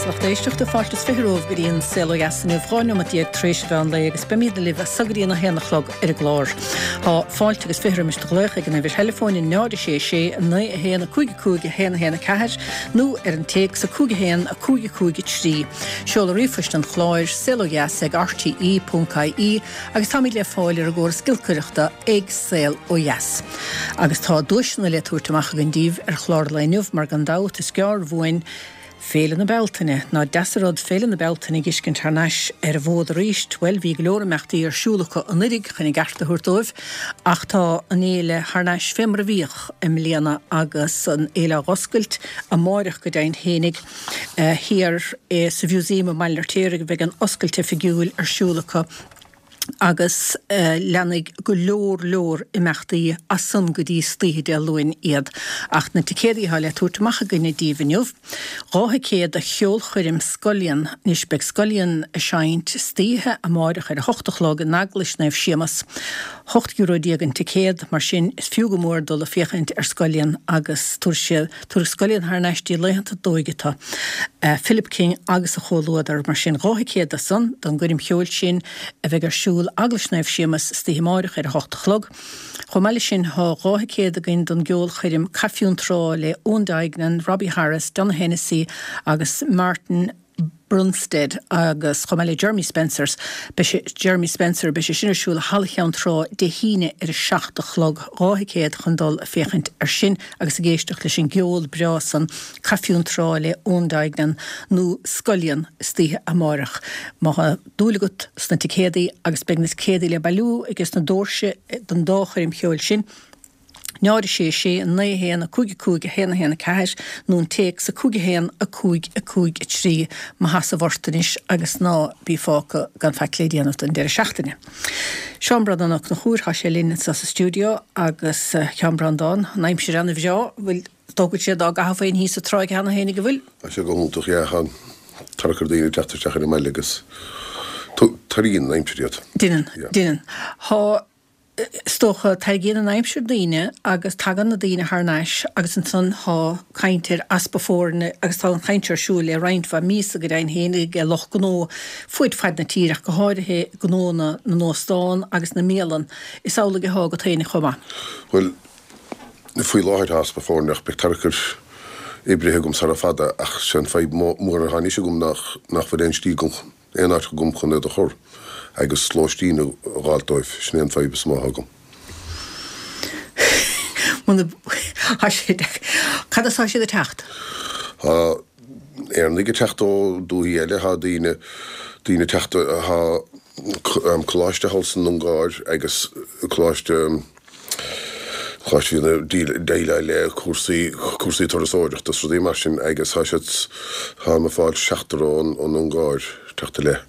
a lucht éisteachta, fáilte is 20 romhaibh go dtí an Saol Ó Dheas inniu, 12 neomat tar éis an mheán lae agus beimid libh as so go dtí an 1 a chlog ar an gclár. Tá fáilte agus 20 roimis do ghlaoch ag an uimhir theileafóin 0 6 6 9 1 5 5 1 1 4 nó ar an téacs 5 1 5 5 3. Seoladh ríomhphoist an chláir, saolodheas ag rte.ie agus táimid le fáil ar an gcóras giolcaireachta ag Saol Ó Dheas. Agus tá duaiseanna le tabhairt amach againn daoibh ar chlár an lae inniu mar gan dabht is gearr uainn Féile na Bealtaine. Nach deas an rud Féile na Bealtaine a dh'fheiscint thar n-ais ar an bhfód arís. Bhuel bhí go leor imeachtaí ar siúl acu anuiridh chun a gceart a thabhairt dóibh ach tá an fhéile thar n-ais fé mar a bhíodh i mbliana agus an fhéile á dh'oscailt amáireach go deimhin fhéinig thiar sa Mhuseum i mBaile an Fheirtéaraigh a bheidh an oscailt oifigiúil ar siúl acu. agus leanfaidh go leor leor imeachtaí as san go dtí istoíche Dé Luain iad. Ach na ticéadaí atá le tabhairt amach againne daoibh inniu, 2 thicéad do cheolchoirm Scullion. Anois beidh Scullion ag seinnt istoíche amáireach ar a hocht a chlog in Eaglais Naomh Séamas. €18 euro an ticéad, mar sin is fiú go mór dul ag féachaint ar Scullion agus tabharfaidh siad, tabharfaidh Scullion thar n-ais dtí laethanta d'óige tú. Philip King agus a chomhluadar, mar sin 2 thicéad do san, don gcoirm cheoil sin a bheidh ar siúl Eaglais Naomh Séamas istoíche amáireach ar a hocht a chlog. Chomh maith leis sin tá 2 thicéad againn don gceolchoirm Caife Fhionntrá le Eoin Duignan, Robbie Harris, Donogh Hennessy agus Martin Brunstedt agus chomh maith le Jeremy Spencers, beidh sé, Jeremy Spencer, beidh sé sin ar siúl i Halla Cheann Trá Dé hAoine ar a 7 a chlog, 2 thicéad chun dul ag féachaint ar sin agus ag éisteacht leis an gceol breá san, Caife Fhionntrá le Eoin Duignan nó Scullion istoíche amáireach. Má thá dúil agat sna ticéadaí agus beidh na ticéadaí le bailiú ages na doirse don dá choirm cheoil sin, 0 6 6 9 1 5 5 1 1 4 nó an téacs 5 1 5 5 3 Mo sheasamh ort anois agus ná bí fágtha gan faic le déanamh don deireadh seachtaine. Seán Breandán Ó Conchúir, tá sé linn anseo sa stiúideo agus a Sheáin Breandán, an aimsir ana-bhreá, bhfuil, is dócha go bhfuil siad á gcaitheamh féin thíos sa tráigh cheana féin ag an bhfuil? Tá sé go hiontach, yeah, tá tarrac ar daoine teacht isteach ar an mbaile agus tarraingíonn an aimsir iad. Deineann, deineann. Tá Is dócha, tarraingíonn an aimsir daoine agus tagann na daoine thar n-ais agus ansan thá caint ar easpa foirne agus tá an chaint seo ar siúl le roinnt mhaith míosa go deimhin féin ag lucht gnó fuaid faid na tíre ach go háirithe gnónna na n-óstán agus na mbialann. Is amhlaidh athá agat féinig chomh maith. Bhuel, faoi láthair tá easpa foirne ach beidh tarrac ar oibrithe agam sara fada ach sé an fadhb mór athá anois agam nach nach bhfuil aon slí agam aon áit agam chun iad a chur agus lóistín a dh'fháilt dóibh, sin é an fadhb is mó atá agam. Muna, tá sé, cad as atá siad ag teacht? Tá Éireannaigh ag teacht ó dúthaí eile, tá daoine, daoine ag teacht, tá coláiste thall san Ungáir agus coláiste, Coláiste a bhíonn ag déileáil le cúrsaí, cúrsaí turasóireachta is rudaí mar sin agus tá siad, táim ag fáil seachtar ón Ungáir teacht i leith.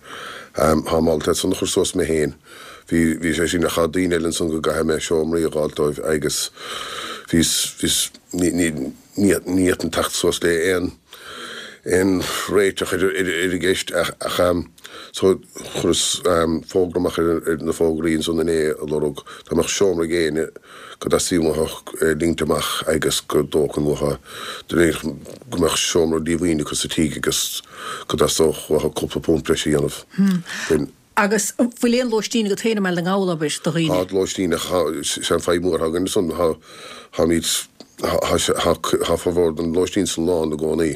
Táim ábalta iad san a chur suas mé féin. Bhí, bhí sé sin ach tá daoine eile ansan go gcaithfidh mé seomraí a dh'fháilt dóibh agus bhíos, bhíos, ní, ní, ní, ní fhéadfainn teacht suas le aon, aon réiteach ar, ar, ar an gceist ach, ach So, chuireas fógra amach ar na fógraí ansan inné ag lorg dá mbeadh seomra ag éinne go dteastaíonn uathu é ligint amach agus go dtógfainn uathu go mbeadh seomra díomhaoin acu sa tigh agus go dteastódh uathu cúpla punt breise a dhéanamh. Bhain. Agus an bhfuil aon lóistín agat féin i mBaile na nGall, abair, do dhaoine? Tá lóistín ach sé an fadhb mór atá againn ansan, tá, táimid, tá, tá, tá formhór den lóistín san lán i gcónaí.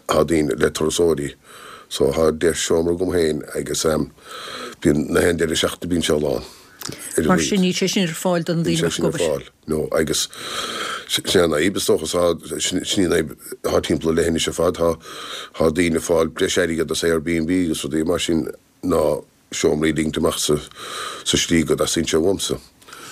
Tá daoine le turasóirí so tá 10 seomra agam féin agus bíonn na haon deireadh seachtaine bíonn sé lán. Ar a Mar sin níl sé sin ar fáil do na daoine a bheadh ag obair. No agus sin é an fhadhb is dócha tá sin í an fhadhb atá timpeall an leithinis ar fad tá tá daoine ag fáil breis airgead as Airbnb agus rudaí mar sin ná seomraí a ligint amach sa slí go dteastaíonn sé uaimse.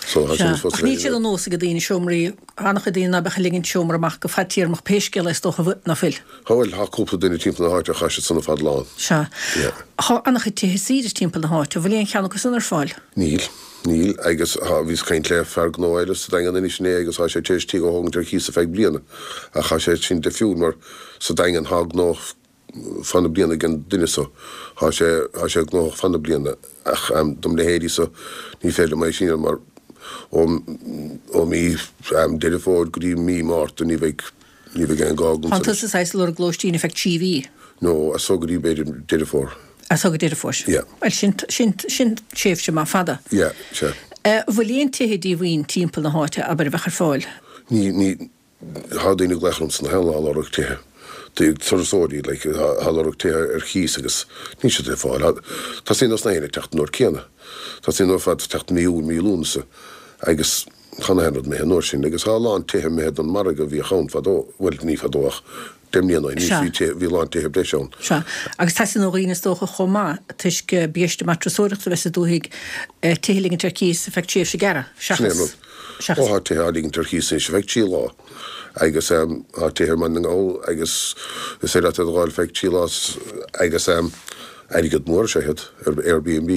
So tá sin fós Ach níl sé de nós ag daoine seomraí, an-chuid daoine ná beadh ag ligint seomra amach go fadtéarmach pé scéal é is dócha ná fuil. Tá bhuel, tá cúpla duine timpeall na háite ach tá siad san ar fad lán. Sea. Yeah. Tá an-chuid tithe saoire timpeall na háite, an bhfuil aon cheann acu san ar fáil? Níl. Níl. Agus tá, bhíos ag caint le fear gnó eile sa Daingean anois inné agus tá sé tar éis tigh a thógaint ar cíos ar feadh bliana. Ach tá sé sin difriúil mar sa Daingean tá gnó fá na bliana ag an duine so. Thá sé, thá sé gnóthach fá na bliana ach dom leithéidí so ní féidir liom é sin a dhéanamh mar ó, ó mí Deireadh Fómhair go dtí mí Márta ní bheidh, ní bheidh aon gá agamsa Thánn tusa saghas ag lorg lóistín ar feadh 3 mhí. Nó as so go dtí b'fhéidir Deireadh Fómhair. As so go Deireadh Fómhair. Yeah. Bhuel, sin, sin, sin tréimhse maith fada. Yeah, sea. An bhfuil aon tithe díomhaoin timpeall na háite, abair, a bheadh ar fáil? Ní, ní, thá daoine ag glaoch ormsa na haon lá ag lorg tithe. Turasóirí, like, thá lorg tithe ar chíos agus níl siad le fáil. Tosaíonn na haon ag teacht an uair céanna. Tosaíonn ar fad ag teacht mí Iúil, mí Lúnasa agus thá na haon rud imithe an uair sin agus thá a lán tithe imithe don margadh a bhíodh ann fadó, bhuel, ní fadó ach 10 mbliana ó shin, Sea. bhí tithe, bhí a lán tithe breise ann. Sea. Agus teastaíonn ó dhaoine is dócha chomh maith, toisc biaiste maith turasóireachta a bheith sa dúthaigh, tithe a ligint ar cíos ar feadh tréimhse gearra, Sin é an seachas, rud. seachas. Ó thá tithe á ligint ar chíos anois ar feadh 3 lá agus thá tithe i mBaile na nGall agus is féidir leat iad a dh'fháil feadh 3 lá agus airgead mór is ea iad ar Airbnb.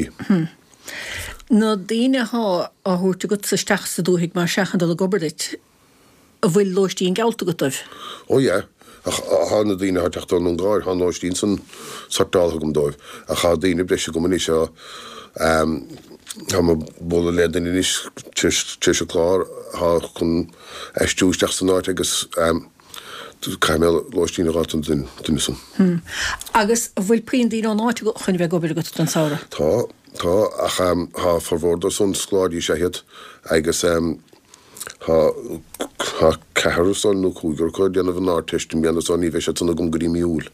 Na daoine athá á thabhairt agatsa isteach sa dúthaigh mar sea chun dul ag obair duit, An bhfuil lóistín geallta agat dóibh? Ó yeah, ach thá na daoine athá ag teacht ón Ungáir, thá an lóistín san sortáltha agam dóibh, ach thá daoine breise agam anois, thá, thá mé ag bualadh le duine anois tar éis an clár, thá chun aistriú isteach san áit agus caithfidh mé lóistín a dh'fháilt don duine san. Agus an bhfuil puinn daoine ón áit chun a bheith ag obair agat don samhradh? Tá, tá, ach thá formhór dóibh san scoláirí is ea iad agus. Tá ceathrar san nó cúigear acu ag déanamh an Ardteist i mbliana so ní bheidh siad san agam go dtí mí Iúil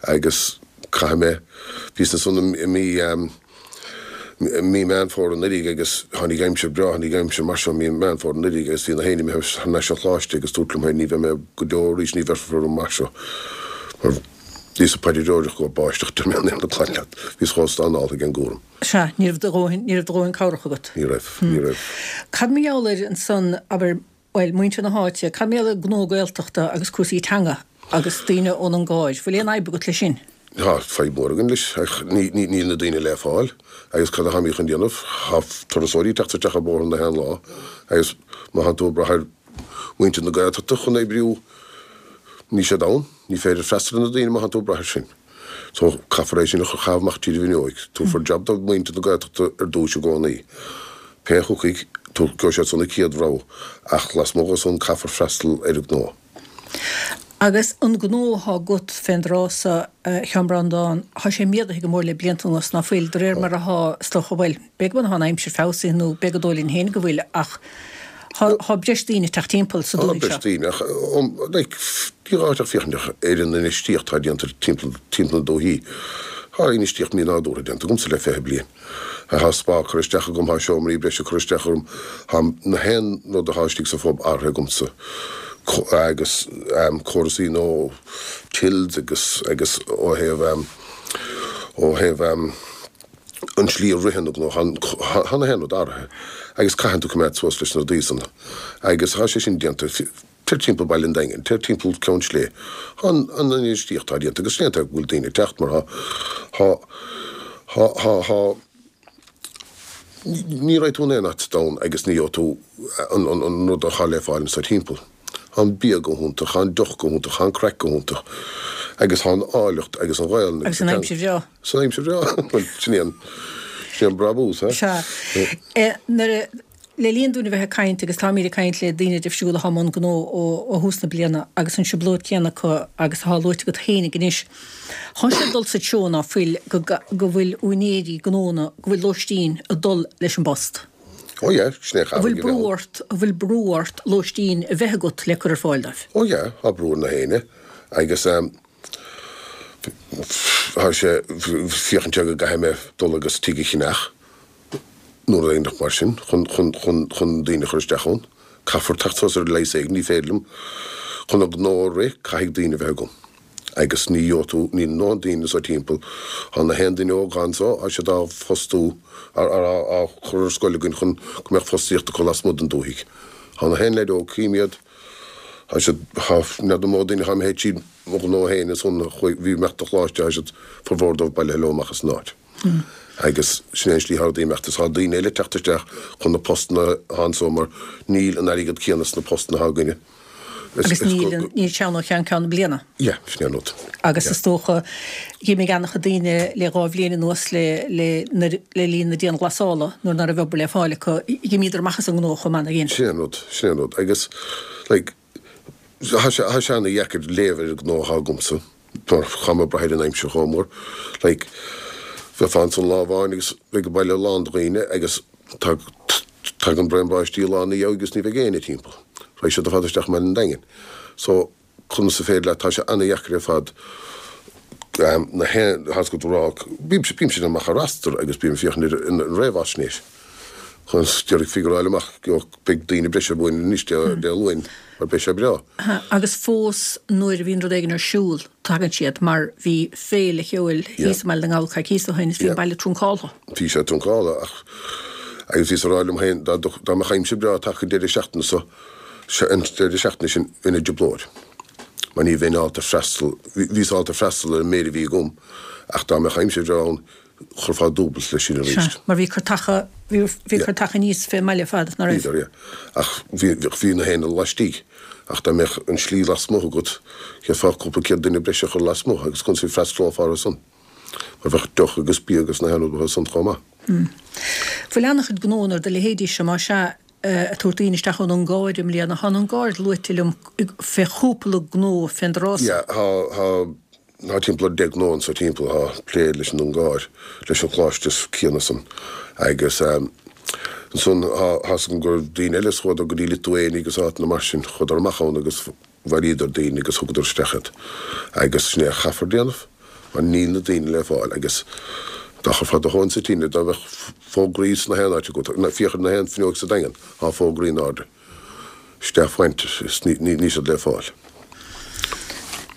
agus caithfidh mé, bhíos ansan i mí, mí Meán Fómhair anuraidh agus tháinig aimsir breá, tháinig aimsir mar seo mí Meán Fómhair anuraidh agus bhí na héinne imithe thar n-ais an choláiste agus dúrt liom féin ní bheidh mé go deo arís, ní bheirfear orm mar seo mar bhíos ag paidreoireacht go raibh báisteach deir mé an aon clann leat, bhíos chomh stánáltha ag an gcúram. Sea, ní raibh do dhóthain, ní raibh do dhóthain cabhrach agat. Ní raibh, ní raibh. Cad mar gheall air ansan, abair, bhuel, muintir na háite, cad mar gheall ar gnó Gaeltachta agus cúrsaí teanga agus daoine ón Ungáir, bhfuil aon fhadhb agat leis sin? Tá fadhb mhór againn leis, ach ní, ní, níl na daoine le fáil agus cad atáimid chun déanamh? Tá turasóirí ag teacht isteach ar bóthar na haon lá agus má thánn tú ag brath ar mhuintir na Gaeltachta chun oibriú, níl siad ann, ní féidir freastal ar na daoine má thánn tú ag brath air sin. So, caithfear é sin a chaitheamh amach tríd an bhfuinneoig. Tabharfar jab do mhuintir na Gaeltachta ar dtúis i gcónaí. Pé a thiocfaidh, gheobhaidh siad san an chéad rogha, ach lasmuigh dhe san caithfear freastal ar an ngnó. Agus an gnó athá agat fén dtráth so, a Sheáin Breandán, thá sé méadaithe go mór le blianta anuas, ná fuil, de réir mar athá, is dócha, bhuel, b'fhéidir go bhfuil an aimsir feabhsaithe nó b'fhéidir gur dóigh linn féin go bhfuil ach thá breis daoine ag teacht timpeall sa Tá dúthaigh breis seo. daoine ach like ní gá duit ach féachaint ar an infheistíocht atá déanta timpeall timpeall na dúichí. Tá infheistíocht mí-nádúrtha déanta agamsa le 20 bliain. Tá spa curtha isteach agam, tá seomraí breise curtha isteach agam, tá na haon rud atá istigh sa phub athraithe agamsa agus córasaí nó tills agus agus ó thaobh ó thaobh an tslí a ritheann an gnó, thá na haon rud athraithe agus caitheann tú coimeád suas leis na rudaí san agus thá sé sin déanta. Téir timpeall Baile an Daingin, téir timpeall Ceann Sléibhe, thá an infheistíocht atá déanta agus déanta go bhfuil daoine ag teacht mar thá, thá, thá, thá, thá, ní raghaidh tú in aon áit sa domhan agus ní gheobhaidh tú an, an, an rud athá le fáil anso timpeall. Thá an bia go hiontach, thá an deoch go hiontach, thá an craic go hiontach agus thá an áilleacht agus an Ghaelainn agus an aimsir bhreá. San aimsir bhreá. Bhuel, sin é an, sin é an brabús, ha? Sea. Nuair a, le linn dúinn a bheith ag caint, agus táimíd ag caint le daoine difriúla athá i mbun gnó ó, ó thús na bliana, agus an trioblóid chéanna acu agus athá luaite agat fhéinig anois, thá sé ag dul sa treo ná fuil, go, go bhfuil úinéirí gnónna, go bhfuil lóistín ag dul leis an bpost. Ó yeah, sin é An bhfuil chaithfidh a brú bheith ann. ort, an bhfuil brú ort lóistín a bheith agat le cur ar fáil dóibh? Ó yeah, tá brú ar na héinne agus tá sé féachaint go gcaithfidh mé dul agus tigh a cheannach nó rud éigin mar sin chun, chun, chun, chun daoine a chur isteach ann. Caithfear teacht suas ar leigheas éigin, ní féidir liom, chun an gnó a rith caithfidh daoine a bheith agam. Agus ní gheobhaidh tú, níl a ndóthain daoine anso timpeall, tá na haon duine óg anso, tá siad á bhfostú, á, á chur ar scoil againn chun go mbeadh fostaíocht acu lasmuigh den dúthaigh. Tá na haon leaid óg, cím iad, tá siad, tá, n'fheadar mó duine atá imithe tríd mo ghnó féin ansan a chuaigh, bhí imeacht do choláiste, tá siad, formhór dóibh bailithe leo amach as an áit. Agus sin é an slí atá rudaí ag imeacht is tá daoine eile ag teacht isteach chun na postanna atá anso mar níl an airgead céanna sna postanna atá againne. Agus níl, níl sé ann ó cheann ceann na bliana. Yeah, sin é an rud. Agus is dócha, dh'imigh an-chuid daoine le dhá bhliain anuas le, le, nuair, le linn na dianghlasála, nuair ná raibh obair le fáil acu, dh'imíodar amach as an ngnó chomh maith, nár dhein? Sin é an rud, sin é an rud. Agus, like, tá sé, tá sé ana-dheacair léamh ar an ngnó atá agamsa. Chaithfidh mé brath ar an aimsir chomh mór. Like, bheifeá ansan lá amháin agus bheadh an baile lán de dhaoine agus tagann braon báistí lá ina dhiaidh agus ní bheidh éinne timpeall. Raghaidh siad ar fad isteach i mBaile an Daingin. So, conas is féidir leat, tá sé ana-dheacair ar fad na haon, tá a fhios agat a rá, bímse amach ar astar agus bím ag féachaint ar an réamhaisnéis chun d'iarraidh figuráil amach beidh daoine breise uainn anois Dé Luain mar beidh sé breá. Agus fós nuair a bhíonn rud éigin ar siúl tagann siad mar bhí féile cheoil thíos i mBaile na nGall coicíos ó shin is bhí an baile truncáltha. Bhí sé truncáltha ach agus bhíos ag rá liom féin dá mbeadh aimsir breá tagtha an deireadh seachtaine so an deireadh seachtaine sin bheinn i dtrioblóid mar ní bheinn ábalta freastal, bhíos ábalta freastal ar an méid a bhí agam ach dá mbeadh aimsir bhreá ann chuirfeá dúbailt leis sin arís. Sea, mar bhí curtacha, bhí, bhí curtacha aníos fén mbaile ar fad, ná raibh? Bhíodar, yeah. Ach bhí, bhí na haon laistigh. Ach dá mbeadh an slí lasmuigh agat, d'fhéadfá cúpla céad duine breise a chur lasmuigh agus conas a freastalófá orthu san? Mar bheadh deoch agus bia agus na haon rud orthu san chomh maith. Bhfuil an-chuid gnóanna ar do leithéidí seo, más ea, ag tabhairt daoine isteach ón Ungáir i mbliana. Tá an Ungáir luaite liom fé chúpla gnó fén dtráth so. Yeah, tá, tá, tá timpeall ar 10 gnó anso timpeall atá ag plé leis an Ungáir, leis an choláiste céanna san. Agus ansan tá, tá 'fhios agam go raibh daoine eile is chuadar go dtí Lithuania agus áiteanna mar sin, chuadar amach ann agus bhailíodar daoine agus thugadar isteach iad. Agus sin é a chaithfear déanamh mar níl na daoine le fáil agus dá chuirfeá do thóin sa tine dá mbeadh fógraí sna haon áit agat, féach ar na haon fuinneoig sa Daingean, tá fógraí in airde. Staff wanted is níl siad le fáil.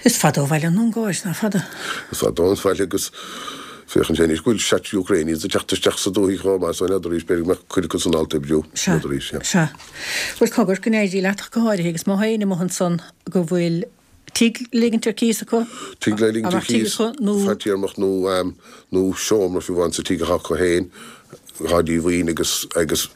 Is fada ó bhaile an Ungáir, ná fada? Is fada ón bhaile agus féach ansin anois go bhfuil seat Ukrainians ag teacht isteach sa dúthaigh chomh maith so n'fheadar arís b'fhéidir go mbeadh cuid acu san ábalta oibriú, Sea, n'fheadar arís, yeah. sea. Bhuel, cogar, go n-éirí leat ach go háirithe agus má tá éinne amuigh ansan go bhfuil tigh le ligint ar cíos acu, Tigh le ligint ar cíos, nó. fadtéarmach nó nó seomra fiú amháin sa tigh atá acu féin, atá díomhaoin agus agus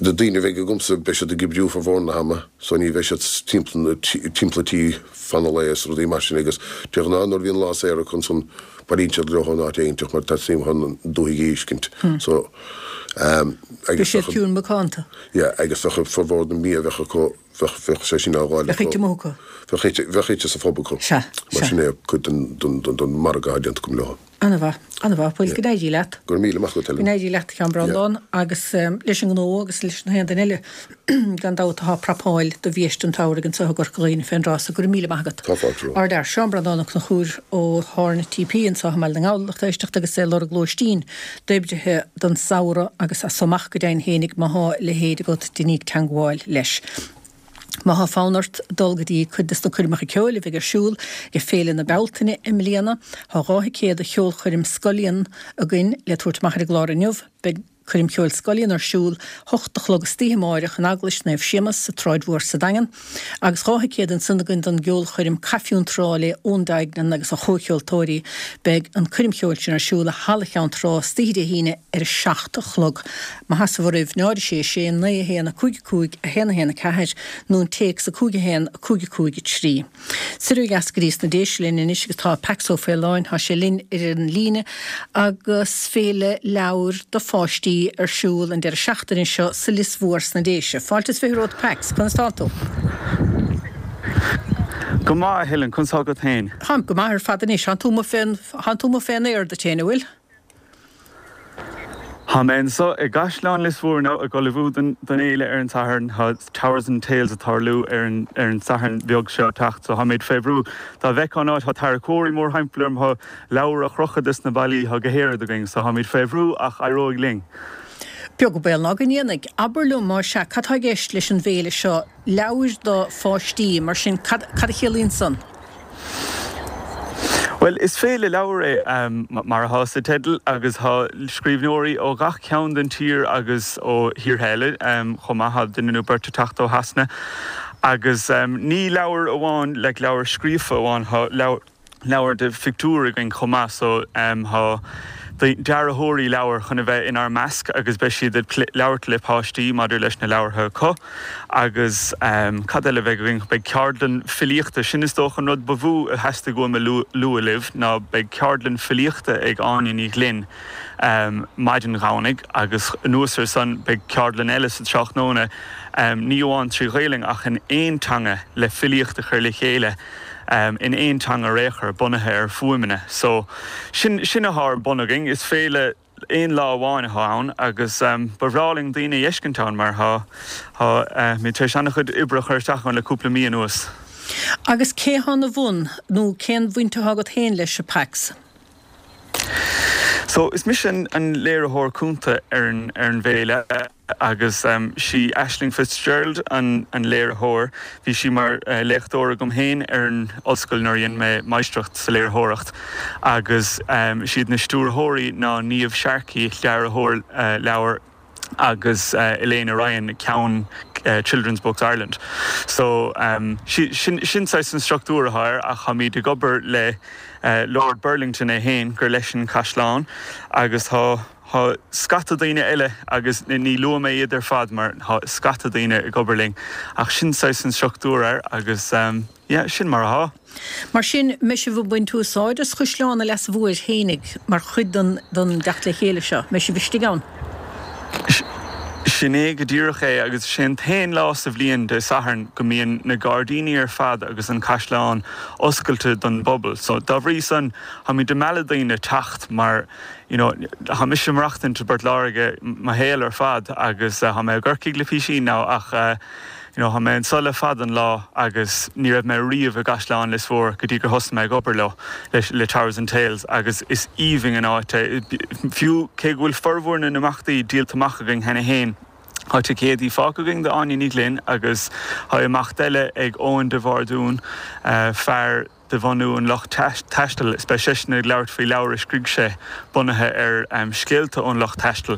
na daoine a bheidh agamsa beidh siad ag oibriú formhór na hama so ní bheidh siad timpeall na timpeall an tí fan an lae is rudaí mar sin agus de ghnáth nuair a bhíonn lá saor acu ansan bailíonn siad leo ón áit éiginteach mar teastaíonn uathu an dúthaigh a fheiscint so agus Beidh siad ciúin macánta. Yeah agus bheadh formhór na mbia a bheadh acu bheadh bheadh sé sin á dháileadh Bheadh ite amuigh acu. Bheadh ite bheadh ite sa phub acu. Sea, Mar sea. sin é cuid den den den margadh atá déanta agam leo. Ana-mhaith, ana-mhaith. Bhuel, go n-éirí leat. Go raibh míle maith agat, Helen. Go n-éirí leat, a Sheáin Breandán, agus leis an ngnó agus leis na haon duine eile, gan dabht, atá ag prapáil do bhiaiste an tsamhraidh anseo i gCorca Dhuibhne fén dtráth so. Go raibh míle maith agat. Tá fáilte romhat. Ár bhfear, Seán Breandán Ó Conchúir ó Thorn TP anseo i mBaile na nGall, lucht éisteachta agus é ag lorg lóistín d'oibrithe don samhradh agus as so amach go deimhin fhéinig má thá a leithéid agat deiníg teangmháil leis. Má thá fonn ort dul go dtí cuid des na coirmeacha ceoil a bheidh ar siúl ag Féile na Bealtaine i mbliana, thá 2 thicéad do cheolchoirm Scullion againn le tabhairt amach ar an gclár inniu. Beidh coirm cheoil Scullion ar siúl 8 a chlog istoíche amáireach in Eaglais Naomh Séamas sa tSráid Mhór sa Daingean. Agus 2 thicéad ansan againn don gceolchoirm Caife Cheann Trá le Eoin Duignan agus a chomhcheoltóirí. Beidh an coirm cheoil sin ar siúl i Halla Cheann Trá istoíche Dé hAoine ar a 7 a chlog. Má theastaíonn oraibh, 0 6 6 9 1 5 5 1 1 4 nó an téacs 5 1 5 5 3. Soir ó dheas go dtí sna Déise linn anois agus tá Pax Ó Faoláin, tá sé linn ar an líne agus féile leabhar do pháistí ar siúl an deireadh seachtaine seo sa Lios Mhór sna Déise. Fáilte is 20 romhat Pax, conas tá tú? Go maith a Helen, conas tá agat féin? Táim go maith ar fad anois, tánn tú amuigh fén, tánn tú amuigh fén aer duit féin, an bhfuil? Tá mé anseo i gCaisleán Lios Mhór inniu ag ullmhú don fhéile ar an Satharn. Tá Towers and Tales ag tarlú ar an ar an Satharn beag seo ag teacht so táimid fé bhrú. Dá bhfeicfeá an áit, tá tarracóirí mórthimpeall orm, tá leabhair á chrochadh des na ballaí, tá go héad againn so táimid fé bhrú ach éireoidh linn. Beag an baol ná go ndéanfaidh. Abair liom, más ea, cad tá i gceist leis an bhféile seo? Leabhair do pháistí, mar sin, cad a chiallaíonn san? Bhuel, is féile leabhar é, mar atá sa teideal, agus tá scríbhneoirí ó ghach ceann den tír agus ó thíortha eile chomh maith, tá duine nó beirt ag teacht ó Shasana. Agus ní leabhair amháin, like leabhair scríofa amháin, tá leabhair, leabhair de phictiúir againn chomh maith so tá dearthóirí leabhar chun a bheith inár measc agus beidh siad ag labhairt le páistí maidir leis na leabhartha acu agus cad eile a bheidh againn? Beidh ceardlann filíochta, sin is dócha an rud ba mhó a theastaigh uaim a lua libh ná beidh ceardlann filíochta ag Áine Ní Ghlinn maidin Dhomhnaigh agus anuas ar san beidh ceardlann eile sa tráthnóna ní amháin trí Ghaelainn ach in aon teanga le filíocht a chur le chéile. in aon teanga ar aon chor, bunaithe ar fuaimeanna. So, sin, sin atá ar bun againn. Is féile aon lá amháin atá ann agus ba bhreá linn daoine a fheiscint ann mar tá, tá muid tar éis an-chuid oibre a chur isteach ann le cúpla mí anuas. Agus cé atá ina bhun, nó cén bhaint atá agat féin leis, a Pax? So, is mise an léiritheoir cúnta ar an ar an bhféile agus sí Aisling Fitzgerald an an léiritheoir. Bhí sí mar léachtóir agam féin ar an ollscoil nuair a dhein mé máistreacht sa léiritheoireacht agus siad na stiúrthóirí ná Niamh Sharkey, dearthóir leabhar, agus Elaina Ryan, ceann Children's Books Ireland. So, sin saghas an struchtúr atá air ach táimid ag obair le Lord Burlington é féin, gur leis an caisleán agus tá tá scata daoine eile agus ní luafaidh mé iad ar fad mar tá scata daoine ag obair linn ach sin saghas an struchtúr air agus Yeah, sin mar atá. Mar sin, mbeidh sibh ag baint úsáid as Chaisleán an Leasa Mhóir fhéinig mar chuid den den dteacht le chéile seo? Mbeidh sibh istigh ann? Sin é go díreach é agus is é an t-aon lá sa bhliain, Dé Sathairn, go mbíonn na gairdíní ar fad agus an caisleán oscailte don bpobal. So, dá bhrí san, táimid ag mealladh daoine teacht mar, you know, tá mise ag maireachtaint i bPort Láirge mo shaol ar fad agus tá mé i gCorcaigh le písín now ach, You know, tá mé anso le fada an lá agus ní raibh mé riamh i gCaisleán Lios Mhór go dtí gur thosaigh mé ag obair leo, le Towers and Tales agus is aoibhinn an áit é. Fiú cé go bhfuil formhór na n-imeachtaí díolta amach againn cheana féin, tá ticéadaí fágtha againn d'Áine Ní Ghlinn agus tá imeacht eile ag Eoin de Bhardún, fear, de bhunú an lucht taistil. Is beidh seisean ag labhairt faoi leabhar a scrígh sé bunaithe ar scéalta ón lucht taistil.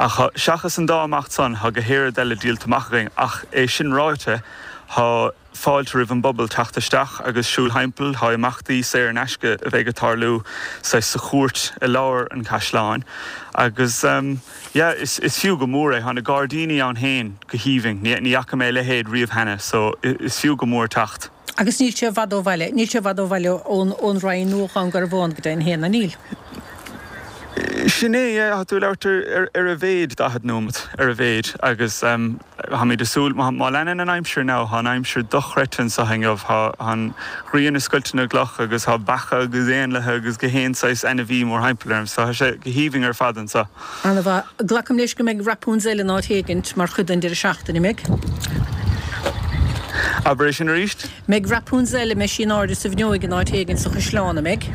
Ach seachas an dá imeacht san, tá go héiread eile díolta amach againn. Ach é sin ráite, tá fáilte roimh an bpobal teacht isteach agus siúl thimpeall. Tá imeachtaí saor in aisce a bheidh ag tarlú saghas sa chúirt i lár an chaisleáin. Agus yeah, is fiú go mór é. Tá na gairdíní ann féin go haoibhinn. Ní fhaca mé a leithéid riamh cheana, so is fiú go mór teacht. Agus níl sé i bhfad ó bhaile, níl sé i bhfad ó bhaile ón Rinn nó ó Dhún Garbhán go deimhin féin, an níl? Sin é, yeah, tá tú ag labhairt ar ar a mhéid 40 nóimeat, ar a mhéid, agus táimid ag súil, má leanann an aimsir now, tá an aimsir dochreidte anseo inniu, tá an ghrian ag scoilteadh na gcloch agus tá beacha agus éanlaithe agus gach aon saghas ainmhí mórthimpeall orm, so tá sé go haoibhinn ar fad anseo. Ana-mhaith. Glacaim leis go mbeidh Rapunzel in áit éigint mar chuid den deireadh seachtaine, an mbeidh? Abair é sin arís? Mbeidh Rapunzel, an mbeidh sí in airde sa bhfuinneoig in áit éigint sa chaisleán, an mbeidh?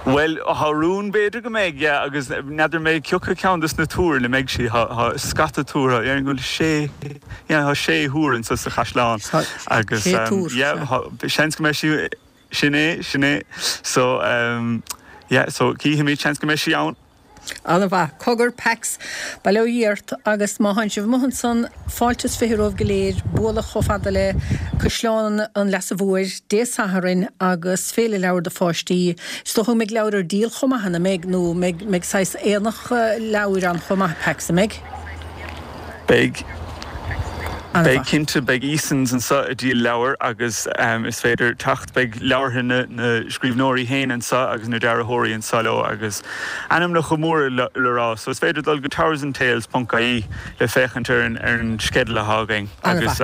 Bhuel, tá rún, b'fhéidir go mbeidh, yeah, agus n'fheadar mé cioca ceann des na túir ina mbeidh sí, tá scata túr, déarfainn go bhfuil sé, yeah, tá sé thúr anso sa chaisleán agus, yeah, seans go mbeidh sí, Sin é, sin é. So, yeah, so cífimid, seans go mbeidh sí ann. Ana-mhaith. Cogar, Pax, bail ó Dhia ort agus má thánn sibh amuigh ansan, fáilte is 20 romhaibh go léir bualadh chomh fada le Caisleán an Leasa Mhóir Dé Sathairn agus Féile Leabhar do Pháistí. Is dócha go mbeidh leabhair ar díol chomh maith, an mbeidh? Nó mbeidh saghas aonach leabhair ann chomh maith, Pax, an mbeidh? Beidh. Beidh cinnte. Beidh Easons anseo ag díol leabhar agus is féidir teacht. Beidh leabhartha na scríbhneoirí féin anseo agus na dearthóirí anseo leo agus ainmneacha móra le rá. So is féidir dul go towersandtales ponc ie le féachaint ar an sceideal atá againn agus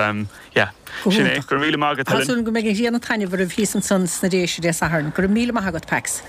yeah. Sin é. Go raibh míle maith agat, Helen. Tá súil agam go mbeidh an ghrian ag taitneamh oraibh thíos ansan sna Déise Dé Sathairn. Go raibh míle maith agat, Pax.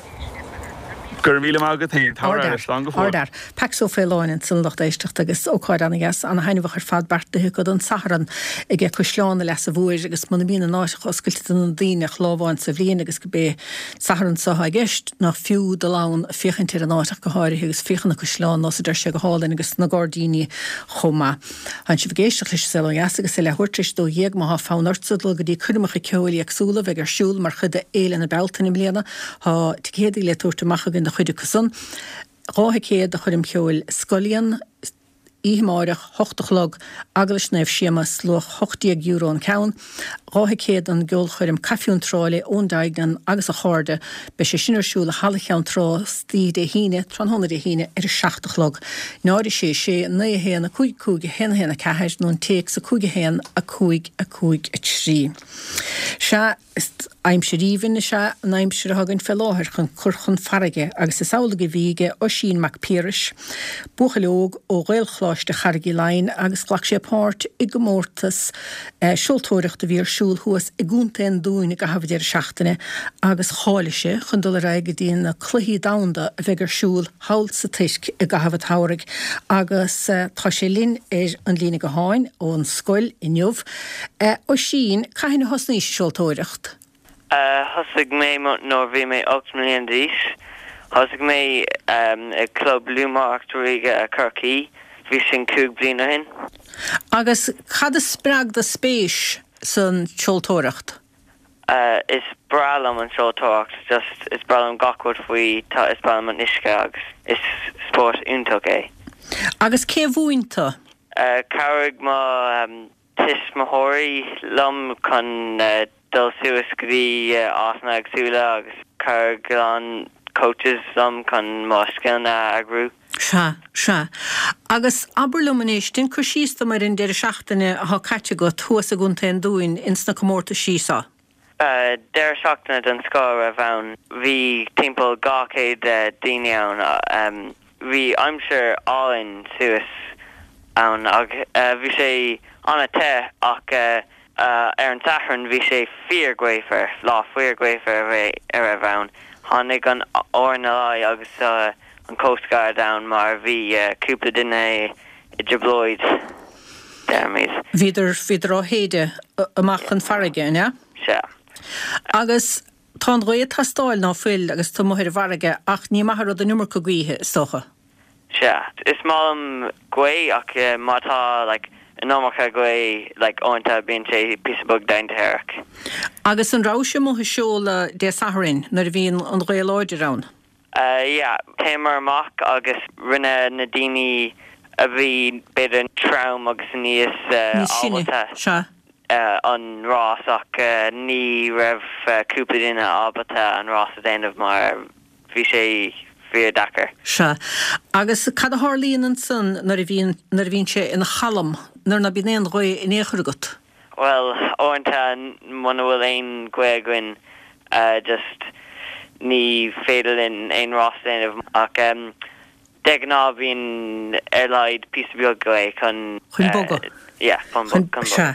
Go raibh míle maith agat féin. Tabhair aire. Slán go fóill. Ardfhear. Pax Ó Faoláin ansan lucht éisteachta agus ócáid ana-dheas, ana-thaitneamhach ar fad beartaithe acu don Satharn ag Caisleán an Leasa Mhóir agus muna mbíonn an áit oscailte do na daoine ach lá amháin sa bhliain agus gurb é Satharn seo atá i gceist, nach fiú dul ann féachaint ar an áit ach go háirithe agus féachaint ar an chaisleán nós a deir sé go hálainn agus na gairdíní chomh maith. Tánn sibh ag éisteacht leis an Saol Ó Dheas agus é leathuair tar éis a 12 má thá fonn ortsa dul go dtí coirmeacha ceoil éagsúla a bheidh ar siúl mar chuid de Fhéile na Bealtaine i mbliana. Thá ticéadaí le tabhairt amach againn do chuid acu san. 2 thicéad do choirm cheoil Scullion, oíche amáireach, 8 a chlog, Eaglais Naomh Séamas, luach €18 an ceann. 2 thicéad don gceolchoirm Caife Cheann Trá le Eoin Duignan agus a chairde. Beidh sé sin ar siúl i Halla Cheann Trá istoíche Dé hAoine, tráthnóna Dé hAoine, ar a 7 a chlog. 0 6 6 9 1 5 5 1 1 4 nó an téacs 5 1 5 5 3. Sea, is. Aimsir aoibhinn is ea an aimsir atá againn fé láthair chun cur chun farraige agus is amhlaidh a bhí aige Oisín Mac Piarais, buachaill óg ó Ghaelcholáiste Charraig Uí Leighin agus ghlac sé páirt i gcomórtas seoltóireachta a bhí ar siúl thuas i gContae an Dúin i gcaitheamh an deireadh seachtaine agus cháiligh sé chun dul ar aghaidh go dtí na Cluichí Domhanda a bheidh ar siúl thall sa Tuirc i gcaitheamh an tsamhraidh agus tá sé linn ar an líne gutháin ón scoil inniu. Oisín, cathain a thosnaís ag seoltóireacht? Thosaigh mé nuair bhí mé 8 mbliana d'aois. Thosaigh mé i gClub Lúthmhaireacht Ríoga Chorcaí. Bhí sin 5 bliain ó shin. Agus cad a spreag do spéis san tseoltóireacht? Is breá liom an seoltóireacht, just is breá liom gach rud faoi, tá, is breá liom an uisce agus is spórt iontach é. Agus cé a mhúin tú? Chabhraigh mo tuismitheoirí liom chun dul suas go dtí áiteanna éagsúla agus chabhraigh a lán coaches liom chun mo scileanna a eagrú. Sea, sea. Agus abair liom anois, déan cur síos dom ar an deireadh seachtaine athá caite agat thuas i gContae an Dúin ins na comórtaisí so. Deireadh seachtaine den scoth a raibh ann. Bhí timpeall 200 daoine ann. Bhí aimsir álainn suas ann ach bhí sé an-te ach ar an Satharn bhí sé fíor gaofar, lá fíor gaofar a raibh ann. Tháinig an RNLI agus an Coast Guard ann mar bhí cúpla duine i dtrioblóid, deirimid. Bhíodar, bhíodar á shéideadh amach chun farraige, an ea? Sea. Agus tá an ghaoth ag teastáil, ná fuil, agus tú amuigh ar an bhfarraige, ach ní maith an rud an iomarca gaoithe, is dócha. Sea. Is maith liom gaoth ach má tá like an iomarca gaoth like uaireanta bíonn sé píosa beag dainséarach. Agus an rabhais amuigh ag seoladh Dé Sathairn nuair a bhí an ghaoth láidir ann? Yeah. Théamar amach agus rinne na daoine a bhí b'fhéidir trom agus níos ábalta Sea. an rás ach ní raibh cúpla duine ábalta an rás a déanamh mar Bhí sé fíor deacair. Sea. Agus cad a tharlaíonn ansan nuair a bhíonn, nuair a bhíonn sé ina chalm, nuair ná bíonn aon ghaoth in aon chor agat? Bhuel, uaireanta muna bhfuil aon ghaoth againn just ní féidir linn aon rás a dhéanamh ach de ghnáth bíonn ar laghad píosa beag gaoth chun. Chun bogadh. Yeah, chun bogadh. Sea.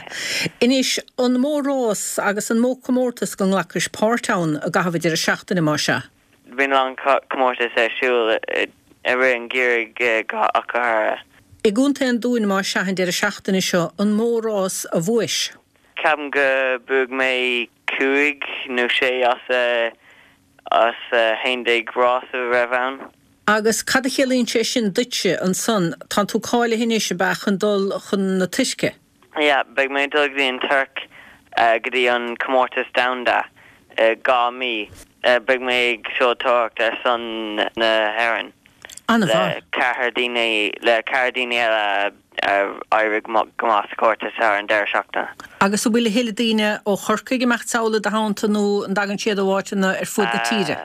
Anois, an mó rás agus an mó comórtas go nglacais páirt ann i gcaitheamh an deireadh seachtaine, más ea? Bíonn a lán comórtas ar siúl i rith an gheimhridh ach go háirithe. I gContae an Dúin, más ea, an deireadh seachtaine seo, an mó rás a bhuais? Ceapaim go buaigh mé cúig nó sé as as 11 rás a raibh ann. Agus cad a chiallaíonn sé sin duitse ansan? Tánn tú cáilithe anois, ab ea, chun dul chun na Tuirce? Yeah, beidh mé ag dul go dtí an Tuirc go dtí an comórtas domhanda i 2 mí. Beidh mé ag seoltóireacht ar son na hÉireann. An-mhaith. Le ceathrar daoine, le ceathrar daoine eile a éirigh go maith sa chomórtas thar an deireadh seachtaine. Agus an bhfuil a thuilleadh daoine ó Chorcaigh ag imeacht sall i do theannta nó an dtagann siad ó áiteanna ar fuaid na tíre?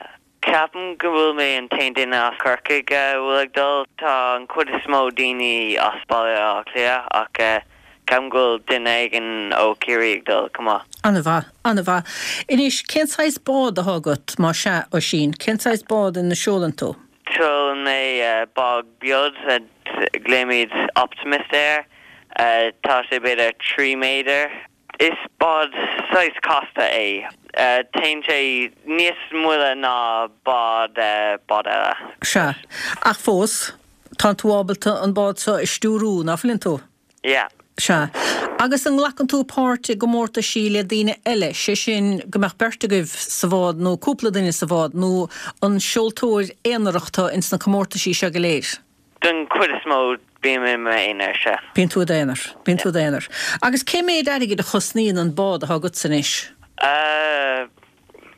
Ceapaim go bhfuil mé an t-aon duine as Corcaigh a bhfuil ag dul. Tá an chuid is mó daoine as Baile Átha Cliath ach ceapaim go bhfuil duine éigin ó Chiarraí ag dul chomh maith. An-mhaith, an-mhaith. Anois, cén saghas bád atá agat, más ea, Oisín? Cén saghas bád ina seolann tú? Seolann mé bád beag, glaoimid Optimist air. Tá sé b'fhéidir 3 méadar. Is bád saghas casta é. Téann sé níos moille ná bád bád eile. Sea. Ach fós, tánn tú ábalta an bád seo a stiúrú, ná fuileann tú? Yeah. Sea. Agus an nglacann tú páirt i gcomórtaisí le daoine eile, sé sin, go mbeadh beirt agaibh sa bhád nó cúpla duine sa bhád, nó an seoltóir aonarach tú ins na comórtaisí seo go léir? Den chuid is mó, bím i m'aonar, sea. Bíonn tú i d'aonar. Bíonn tú i d'aonar. Agus cé méid airgid a chosnaíonn an bád atá agatsa anois? Eh,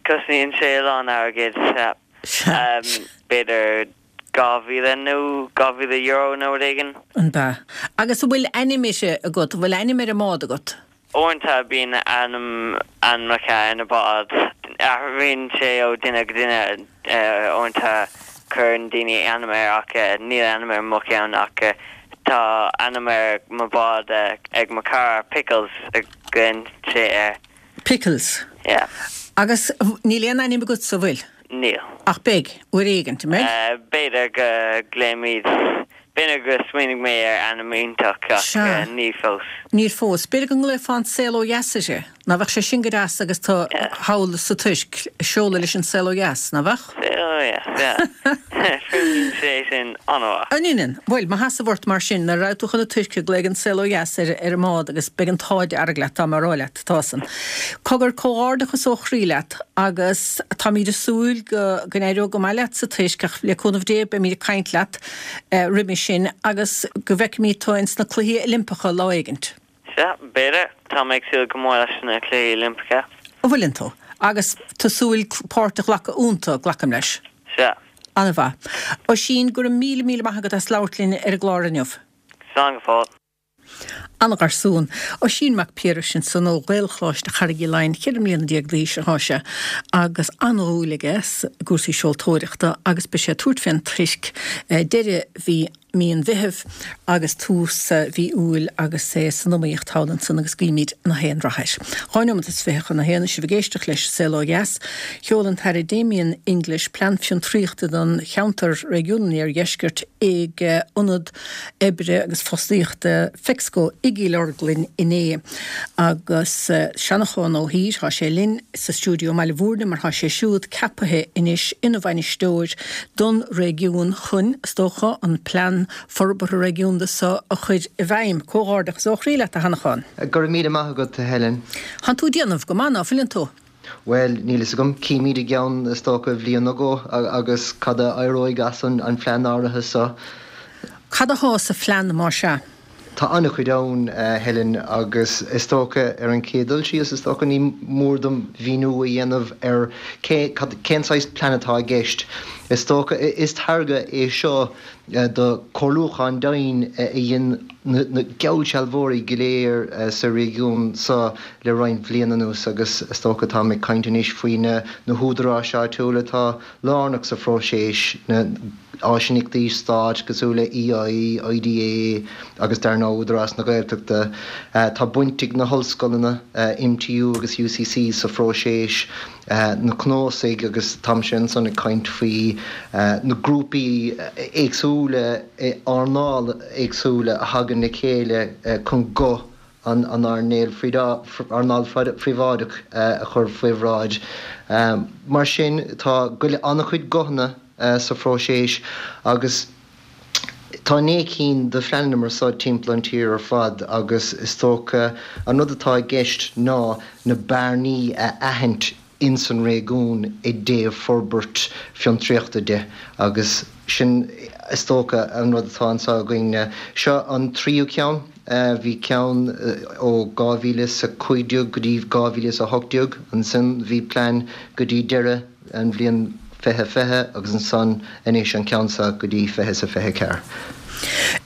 cosnaíonn sé a lán airgid, sea. Sea. B'fhéidir 2,000 nó €2,000 nó rud éigin. An b'ea? Agus an bhfuil ainm uirthi agat? An bhfuil ainm ar an mbád agat? Uaireanta bíonn ainm, ainmneacha ar na báid. Athraíonn sé ó duine go duine. Uaireanta cuireann daoine ainm air ach níl ainm ar mo cheann ach tá ainm ar mo bhád ag mo chara, Pickles a ghlaonn sé air. Pickles? Yeah. Agus níl aon ainm agatsa, an bhfuil? Níl. Ach beidh, uair éigint, an mbeidh? B'fhéidir go nglaofaimid, b'fhéidir go smaoinigh mé ar ainm iontach ach ní fós. Níl fós. B'fhéidir go nglaofá An Saol Ó Dheas uirthi. Ná bheadh sé sin go deas agus tú thall sa Tuirc, seoladh leis an saol ó dheas, ná bheadh? Saol ó dheas, yeah. Fuaimníonn sé sin an-mhaith. An ionann? Bhuel, mo sheasamh ort mar sin, nuair a raghaidh tú chun na Tuirce, glaoigh an saol ó dheas ar ar an mbád agus beidh an t-ádh dearg leat, tá mé a rá leat, tá san. Cogar, comhghairdeachas ó chroí leat agus táimíd ag súil go go n-éireoidh go maith leat sa Tuirc ach le cúnamh Dé beimíd ag caint leat roimhe sin agus go bhfeicfimíd tú ins na Cluichí Oilimpeacha lá éigint. Sea, b'fhéidir. Tá mé ag súil go mór leis na Cluichí Oilimpeacha. An bhfuileann tú? Agus tú ag súil páirt a ghlacadh iontu, glacaim leis. Sea. An-mhaith. Oisín, go raibh míle, míle maith agat as labhairt linn ar an gclár inniu. Slán go fóill. An-gharsún. Oisín Mac Piarais ansan ó Ghaelcholáiste Charraig Uí Leighin, 14 mbliana d'aois atá sé agus an-dhúil aige i gcúrsaí seoltóireachta agus beidh sé ag tabhairt fén Tuirc deireadh mhí mí an Mheithimh agus tús mhí Iúil agus é san iomaíocht thall ansan agus guímid na haon rath air. 2 neomat is 20 chun a haon, sibh ag éisteacht leis Saol Ó Dheas. Sheol an tAire Damien English plean fiontraíochta don cheantar Réigiún an Iardheiscirt ag Ionad Oibre agus Fostaíochta Fexco i gCill Orglan inné agus Seanchán Ó hÍr, tá sé linn sa stiúideo i mBaile Bhúirne mar tá sé siúd ceapaithe anois ina bhainisteoir don réigiún chun, is dócha, an plean forbartha réigiúnda so a chur i bhfeidhm. Comhghairdeachas ó chroí leat, a Sheanacháin. Go raibh míle maith agat, a Helen. Tánn tú ag déanamh go maith, ná fuileann tú? Bhuel, níl fhios agam. Címid i gceann, is dócha, bhliain nó dhó agus cad a éireoidh as an phlean áirithe so. Cad athá sa phlean, más ea? Tá an-chuid ann, a Helen, agus is dócha, ar an chéad dul síos, is dócha, ní mór dom mhíniú a dhéanamh ar cé, cad, cén saghas plean atá i gceist. Is dócha, is táirge é seo de chomhairliúchán domhain a dhein na geallsealbhóirí go léir sa réigiún seo le roinnt bhliain anuas agus is dócha táim ag caint anois faoi na húdaráis áitiúla atá lárnach sa phróiseas, na áisíneachtaí stáit cosúil le EI, IDA agus dar ndóigh Údarás na Gaeltachta. Tá baint ag na hollscoileanna, MTU agus UCC, sa phróiseas, na cnuasaigh agus táimse ansan ag caint faoi na grúpaí éagsúla, earnálacha éagsúla a thagann le chéile chun guth an earnáil phríobháideach a chur faoi bhráid. Mar sin tá an-chuid guthanna sa phróiseas agus tá 9 cinn de phleananna mar seo timpeall an tír ar fad agus is dócha an rud atá i gceist ná na bearnaí a aithint ins an réigiún i dtaobh forbairt fiontraíochta de agus sin is dócha an rud atá anseo againn. Seo an tríú ceann. Bhí ceann ó 2015 go dtí 2018, ansin bhí plean go dtí deireadh an bhliain 2020 agus ansan anois an ceann seo go dtí 2024.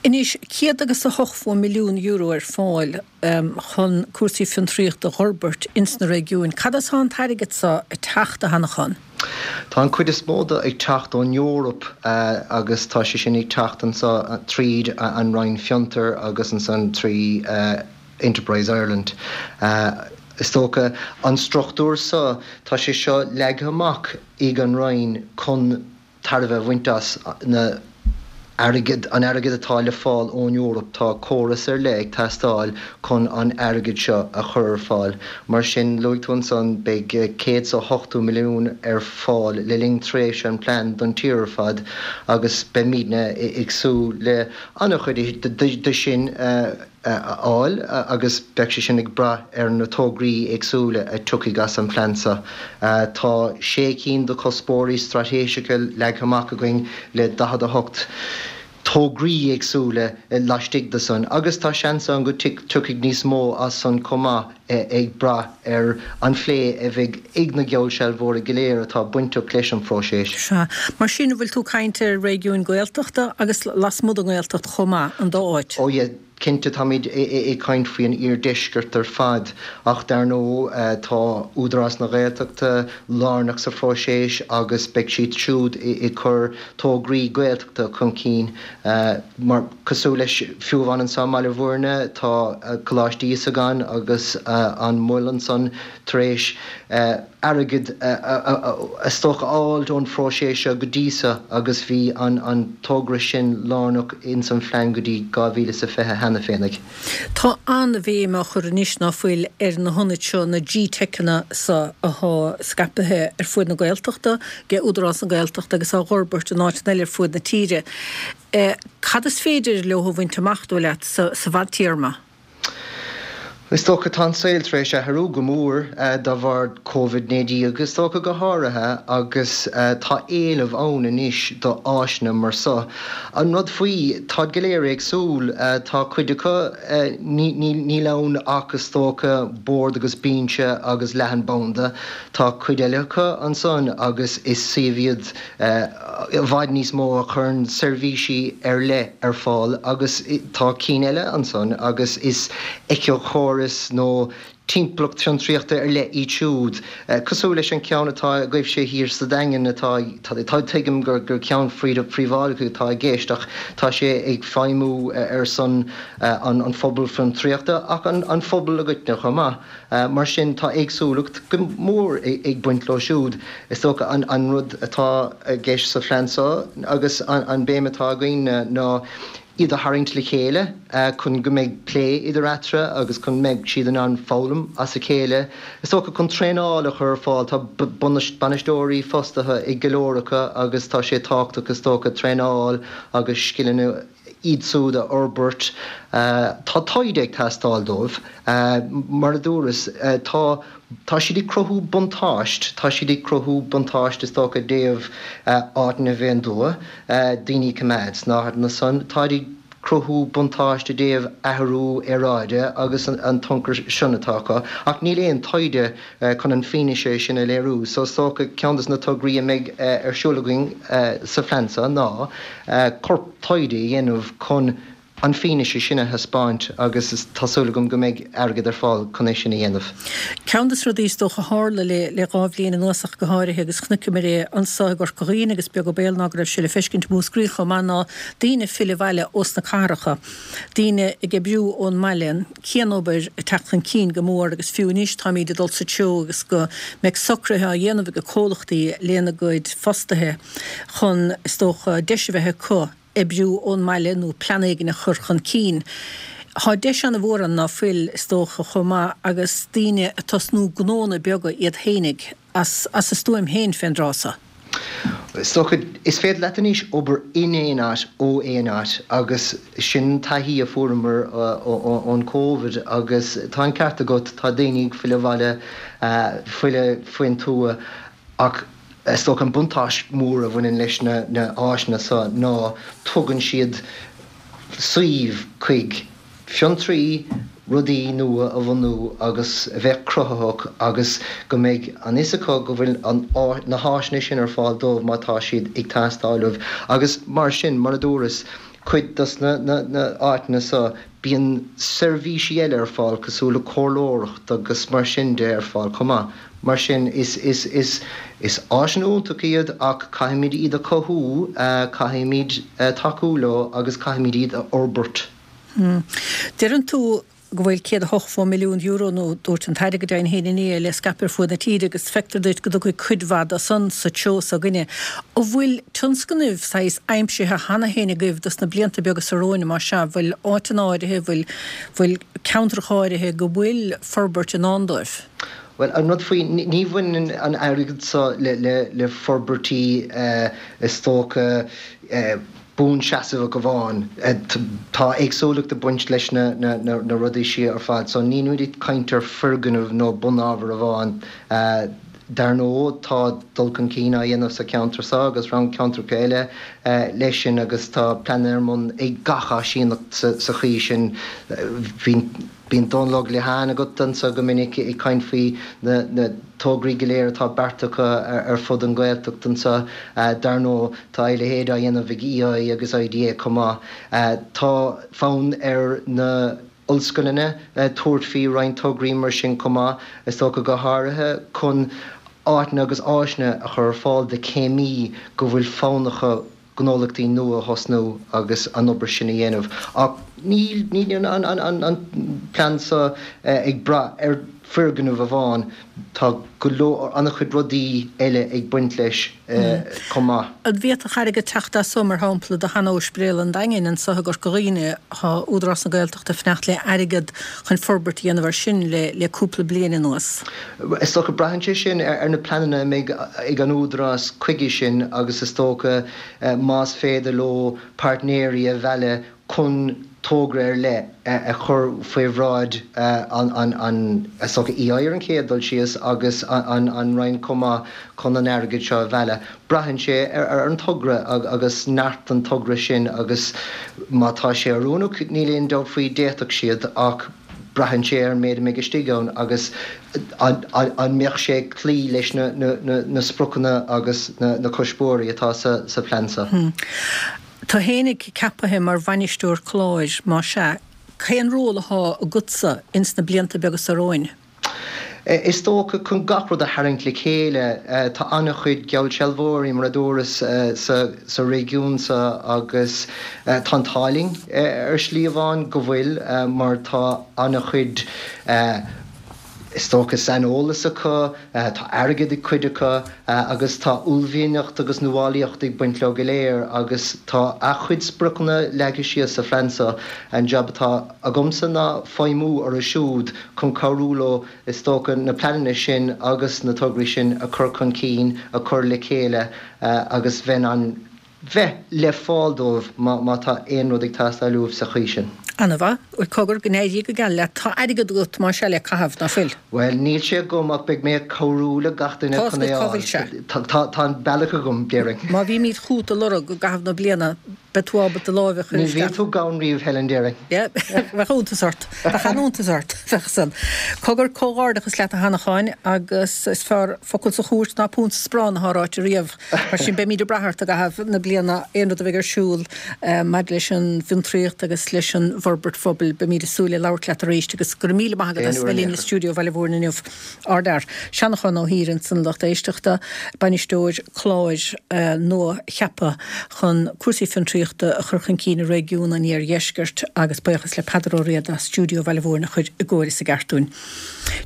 Anois, €180 milliún ar fáil chun cúrsaí fiontraíochta a dh'fhorbairt ins na réigiúin. Cad as thá an t-airgead so ag teacht, a Sheanacháin? Tá an chuid is mó de ag teacht ón Eoraip agus tá sé sin ag teacht anseo tríd an Roinn Fiontar agus ansan trí Enterprise Ireland. Is dócha an struchtúr seo, tá sé seo leagtha amach ag an Roinn chun tairbhe a bhaint as na airgead, an airgead atá le fáil ón Eoraip. Tá córas ar leith ag teastáil chun an airgead seo a chur ar fáil. Mar sin, luaigh tú ansan, beidh 180 milliún ar fáil le linn tréimhse an plean don tír ar fad agus beimidne ag súil le an-chuid de sin a fháil agus beidh sé sin ag brath ar na tograí éagsúla a tiocfaidh as an phlean seo. Tá sé cinn de chuspóirí straitéiseacha leagtha amach againn le 48 tograí éagsúla laistigh de san agus tá seans ann go dtiocfaidh níos mó as san chomh maith ag brath ar an phlé a bheidh ag na geallsealbhóirí go léir atá bainteach leis an phróiseas. Sea. Mar sin, an bhfuil tú ag caint ar réigiúin Gaeltachta agus lasmuigh den nGaeltacht chomh maith, an dá áit? Oh yeah. Cinnte táimid ag caint faoi an iardheisceart ar fad ach dar ndóigh tá Údarás na Gaeltachta lárnach sa phróiseas agus beidh siad siúd ag cur tograí Gaeltachta chun cinn mar cosúil leis fiú amháin anso i mBaile Bhuirne tá Coláiste Íosagáin agus an Mol ansan tar éis airgead is dócha a fháil ón phróiseas seo go dtí so agus bhí an togra sin lárnach ins an phlean go dtí 2020 cheana féinig. Tá an-bhéim á chur anois ná fuil ar na hionaid seo, na GTeiceanna so athá scaipthe ar fuaid na Gaeltachta, ag Údarás na Gaeltachta agus á dh'fhorbairt in áiteanna eile ar fuaid na tíre. Cad is féidir leo a bhaint amach, dóigh leat, sa bhfadtéarma? Is dócha tá an saol tar éis athrú go mór de bharr Covid 19 is dócha go háirithe agus tá éileamh ann anois do áiseanna mar so. An rud faoi, táid go léir éagsúil, tá cuid acu níl ann ach is dócha bord agus binse agus leathanbhanda, tá cuid eile acu ansan agus is suíomh iad i bhfad níos mó a chuireann seirbhísí ar leith ar fáil agus tá cinn eile ansan agus is éiceachóras nó timpeallacht fiontraíochta ar leith iad siúd, cosúil leis an ceann atá agaibhse thiar sa Daingean atá, tá, tuigim gur ceann príobháideach atá i gceist ach tá sé ag feidhmiú ar son an phobal fiontraíochta ach an phobal i gcoitinne chomh maith. Mar sin, tá éagsúlacht go mór ag baint leo siúd. Is dócha an rud atá i gceist sa phlean seo agus an béim atá againn ná iad a tharraingt le chéile chun go mbeidh plé idir eatarthu agus chun mbeidh siad in ann foghlaim as a chéile. Is dócha chun traenáil a chur ar fáil. Tá bainisteoirí fostaithe ag go leor acu agus tá sé tábhachtach is dócha traenáil agus scileanna iad siúd a fhorbairt. Tá taighde ag teastáil dóibh. Mar a dúras, tá, tá siad ag cruthú buntáist, tá siad ag cruthú buntáist is dócha i dtaobh áiteanna a bheith ann daoine a choimeád sna háiteanna san. Táid ag cruthú buntáist i dtaobh athrú aeráide agus an tionchar sin atá acu. Ach níl aon taighde chun an fianaise sin a léiriú. So is dócha ceann de na tograí a mbeidh ar siúl againn sa phlean seo ná corp taighde a dhéanamh chun an fianaise sin a thaispeáint agus tá súil agam go mbeidh airgead ar fáil chun é sin a dhéanamh. Ceann de na rudaí is dócha a tharla le le 2 bhliain anuas ach go háirithe agus chonaiceamar é anso i gCorca Dhuibhne agus beag an baol ná go raibh sé le feiscint i Múscraí chomh maith ná daoine ag filleadh abhaile ós na cathracha, daoine ag oibriú ón mbaile. cianobair ag teacht chun cinn go mór agus fiú anois táimíd ag dul sa treo agus go mbeidh socruithe á dhéanamh ag comhlachtaí lena gcuid fostaithe chun, is dócha, deis a bheith acu oibriú ón mbaile nó plean éigin a chur chun cinn. Thá deis ana-mhór ann ná fuil, is dócha, chomh maith agus daoine ag tosnú gnónna beaga iad fhéinig as as a stuaim féin fén dtráth so. Is dócha, is féidir leat anois obair in aon áit ó aon áit agus sin taithí a fuaireamar ón Covid agus tá an ceart agat, tá daoine ag filleadh abhaile, filleadh faoin tuath ach is dócha an buntáiste mór a bhaineann leis na háiseanna seo ná tugann siad suíomh chuig fiontraí rudaí nua a bhunú agus a bheith cruthaitheach agus go mbeidh an fhios acu go bhfuil an na háiseanna sin ar fáil dóibh má tá siad ag teastáil uaibh agus mar sin, mar a dúras, cuid dos na na áiteanna seo bíonn seirbhísí eile ar fáil cosúil le comhairleoireacht agus mar sin de ar fáil chomh maith. Mar sin is is is is áiseanna iontacha iad ach caithfimid iad a chothú, caithfimid tacú leo agus caithfimid iad a fhorbairt. Deireann tú go bhfuil €180 milliún, nó dúirt an tAire go deimhin féin inné, le scaipeadh ar fuaid na tíre agus feictear duit go dtiocfaidh cuid mhaith de san sa treo s'againne. An bhfuil tionscnaimh saghas aimsithe cheana féin agaibh dos na blianta beaga so romhainn, más ea, bhfuil áiteanna áirithe, bhfuil, bhfuil ceantracha áirithe go bhfuil forbairt i ndán dóibh? Bhuel, an rud faoi, ní bhaineann an airgead so le, le, le forbairtí is dócha, buanseasmhach amháin. Tá éagsúlacht ag baint leis na rudaí seo ar fad so nílimid ag caint ar foirgneamh nó bunábhar amháin. Dar ndóigh tá dul chun cinn á dhéanamh sa cheantar seo agus roinnt ceantracha eile leis sin agus tá pleananna ar bun ag gach áisíneacht sa chaoi sin. Bhí. Bíonn Dónal Óg Liatháin agat anseo go minic ag caint faoi na tograí go léir atá beartaithe acu ar fud an Ghaeltacht anseo. Dar ndóigh tá a leithéid á dhéanamh ag EI agus IDA chomh maith. Tá fonn ar na ollscoileanna tabhairt faoi roinnt tograí mar sin chomh maith, is dócha go háirithe chun áiteanna agus áiseanna a chur ar fáil do chéimí go bhfuil fonn acu gnólachtaí nua a thosnú agus an obair sin a dhéanamh. Ach níl níl an plean seo ag brath ar foirgneamh amháin, tá go leor, an-chuid rudaí eile ag baint leis chomh maith. An bhféadfadh airgead teacht as so, mar shampla, do shean-Ospidéal an Daingin anso i gCorca Dhuibhne? Tá Údarás na Gaeltachta ag fanacht le airgead chun forbairt a dhéanamh air sin le cúpla bliain anuas. Is dócha, braitheann sé sin ar na pleananna a mbeidh ag an Údarás chuige sin agus is dócha más féidir leo páirtnéirí a mhealladh chun togra ar leith a chur faoi bhráid an, is dócha, EI ar an chéad dul síos agus an Roinn chomh maith chun an airgead seo a mhealladh. Braitheann sé ar an togra agus neart an togra sin agus má tá sé oiriúnach, níl aon dabht faoi, d'fhéadfadh siad ach braitheann sé ar an méid a mbeidh istigh ann agus an mbeadh sé ag cloí leis na spriocanna agus na cuspóirí atá sa phlean seo. Tú fhéinig ceapaithe mar bhainisteoir cláir, más ea, cén ról athá agatsa ins na blianta beaga so romhainn? Is dócha, chun gach rud a tharraingt le chéile, tá an-chuid geallsealbhóirí, mar a dúras, sa réigiún seo agus tá an t-ádh linn ar shlí amháin go bhfuil mar tá an-chuid, is dócha, saineolas acu, tá airgead ag cuid acu agus tá uaillmhianacht agus nuálaíocht ag baint leo go léir agus tá a-chuid spriocanna leagtha síos sa phlean seo. An jab atá agamsa ná feidhmiú orthu siúd chun cabhrú leo, is dócha, na pleananna sin agus na tograí sin a chur chun cinn, a chur le chéile agus bheith in ann bheith le fáil dóibh má tá aon rud ag teastáil uaibh sa chaoi sin. Ana-mhaith. Bhuel, cogar, go n-éirí go geal leat. Tá airgead agat, más ea, le caitheamh, ná fuil? Bhuel, níl sé agam ach beidh mé ag cabhrú le gach duine chun é a fháil. Tá an bealach agam, déarfainn. Má bhímid chugat á lorg i gcaitheamh na bliana, Beidh tú ábalta láimh a chur isteach. Ní bhíonn tú gann riamh, Helen, déarfainn. Yeah, bheadh iontas ort. Bheadh an-iontas ort, bheadh san. Cogar, comhghairdeachas leat a Sheanacháin agus is fearr focal sa chúirt ná punt sa sparán atá ráite riamh. Mar sin beimid ag brath ort i gcaitheamh na bliana aon rud a bheidh ar siúl maidir leis an bhfiontraíocht agus leis an bhforbairt phobail. Beimid ag súil le labhairt leat arís agus go raibh míle maith agat as a bheith linn i stiúideo Bhaile Mhúirne inniu. Ardfhear. Seanachán Ó hÍr ansan a lucht éisteachta, bainisteoir cláir nua-cheaptha chun cúrsaí fiontraíochta a chur chun cinn i réigiún an Iardheiscirt agus buíochas le Peadar Ó Riada as Stiúideo Bhaile Mhúirne a chur i gcóir is i gceart dúinn.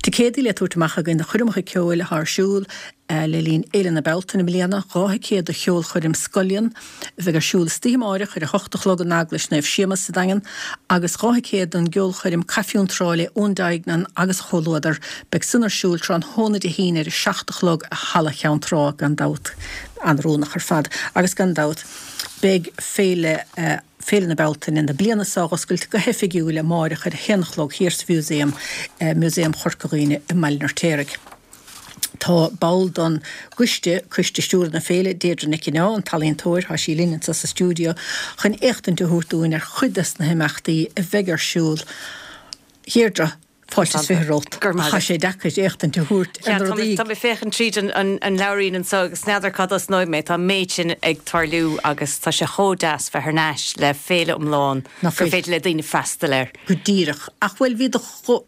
Ticéadaí le tabhairt amach againn do choirmeacha ceoil atá ar siúl le linn Fhéile na Bealtaine i mbliana, 2 thicéad do cheolchoirm Scullion, a bheidh ar siúl istoíche amáireach ar a hocht a chlog in Eaglais Naomh Séamus sa Daingean agus 2 thicéad don gceolchoirm Caife Trá le Eoin Duignan agus a chomhluadar. Beidh san ar siúl tráthnóna Dé hAoine ar a seacht a chlog i Halla Cheann Trá, gan dabht. An-oiriúnach ar fad. Agus gan dabht beidh Féile Féile na Bealtaine na bliana seo á oscailt go hoifigiúil amáireach ar a haon a chlog thiar sa Mhúsaem, Músaem Chorca Dhuibhne i mBaile an Fheirtéaraigh. Tá ball don gcoiste, Coiste Stiúrtha na Féile, Deirdre Nic Fhionnáin, an t-ealaíontóir, tá sí linn anseo sa stiúideo chun éachtaint a thabhairt dúinn ar chuid des na himeachtaí a bheidh ar siúl. A Dheirdre, fáilte is 20 romhat. Go raibh maith Tá sé deacair éachtaint a thabhairt ar na rudaí. Tá mé ag féachaint tríd an leabhairín anseo agus n'fheadar cá dtosnóidh mé. Tá an méid sin ag tarlú agus tá sé chomh deas bheith thar n-ais le féile iomlán gur féidir le daoine freastal air. Go díreach. Ach bhuel, bhí do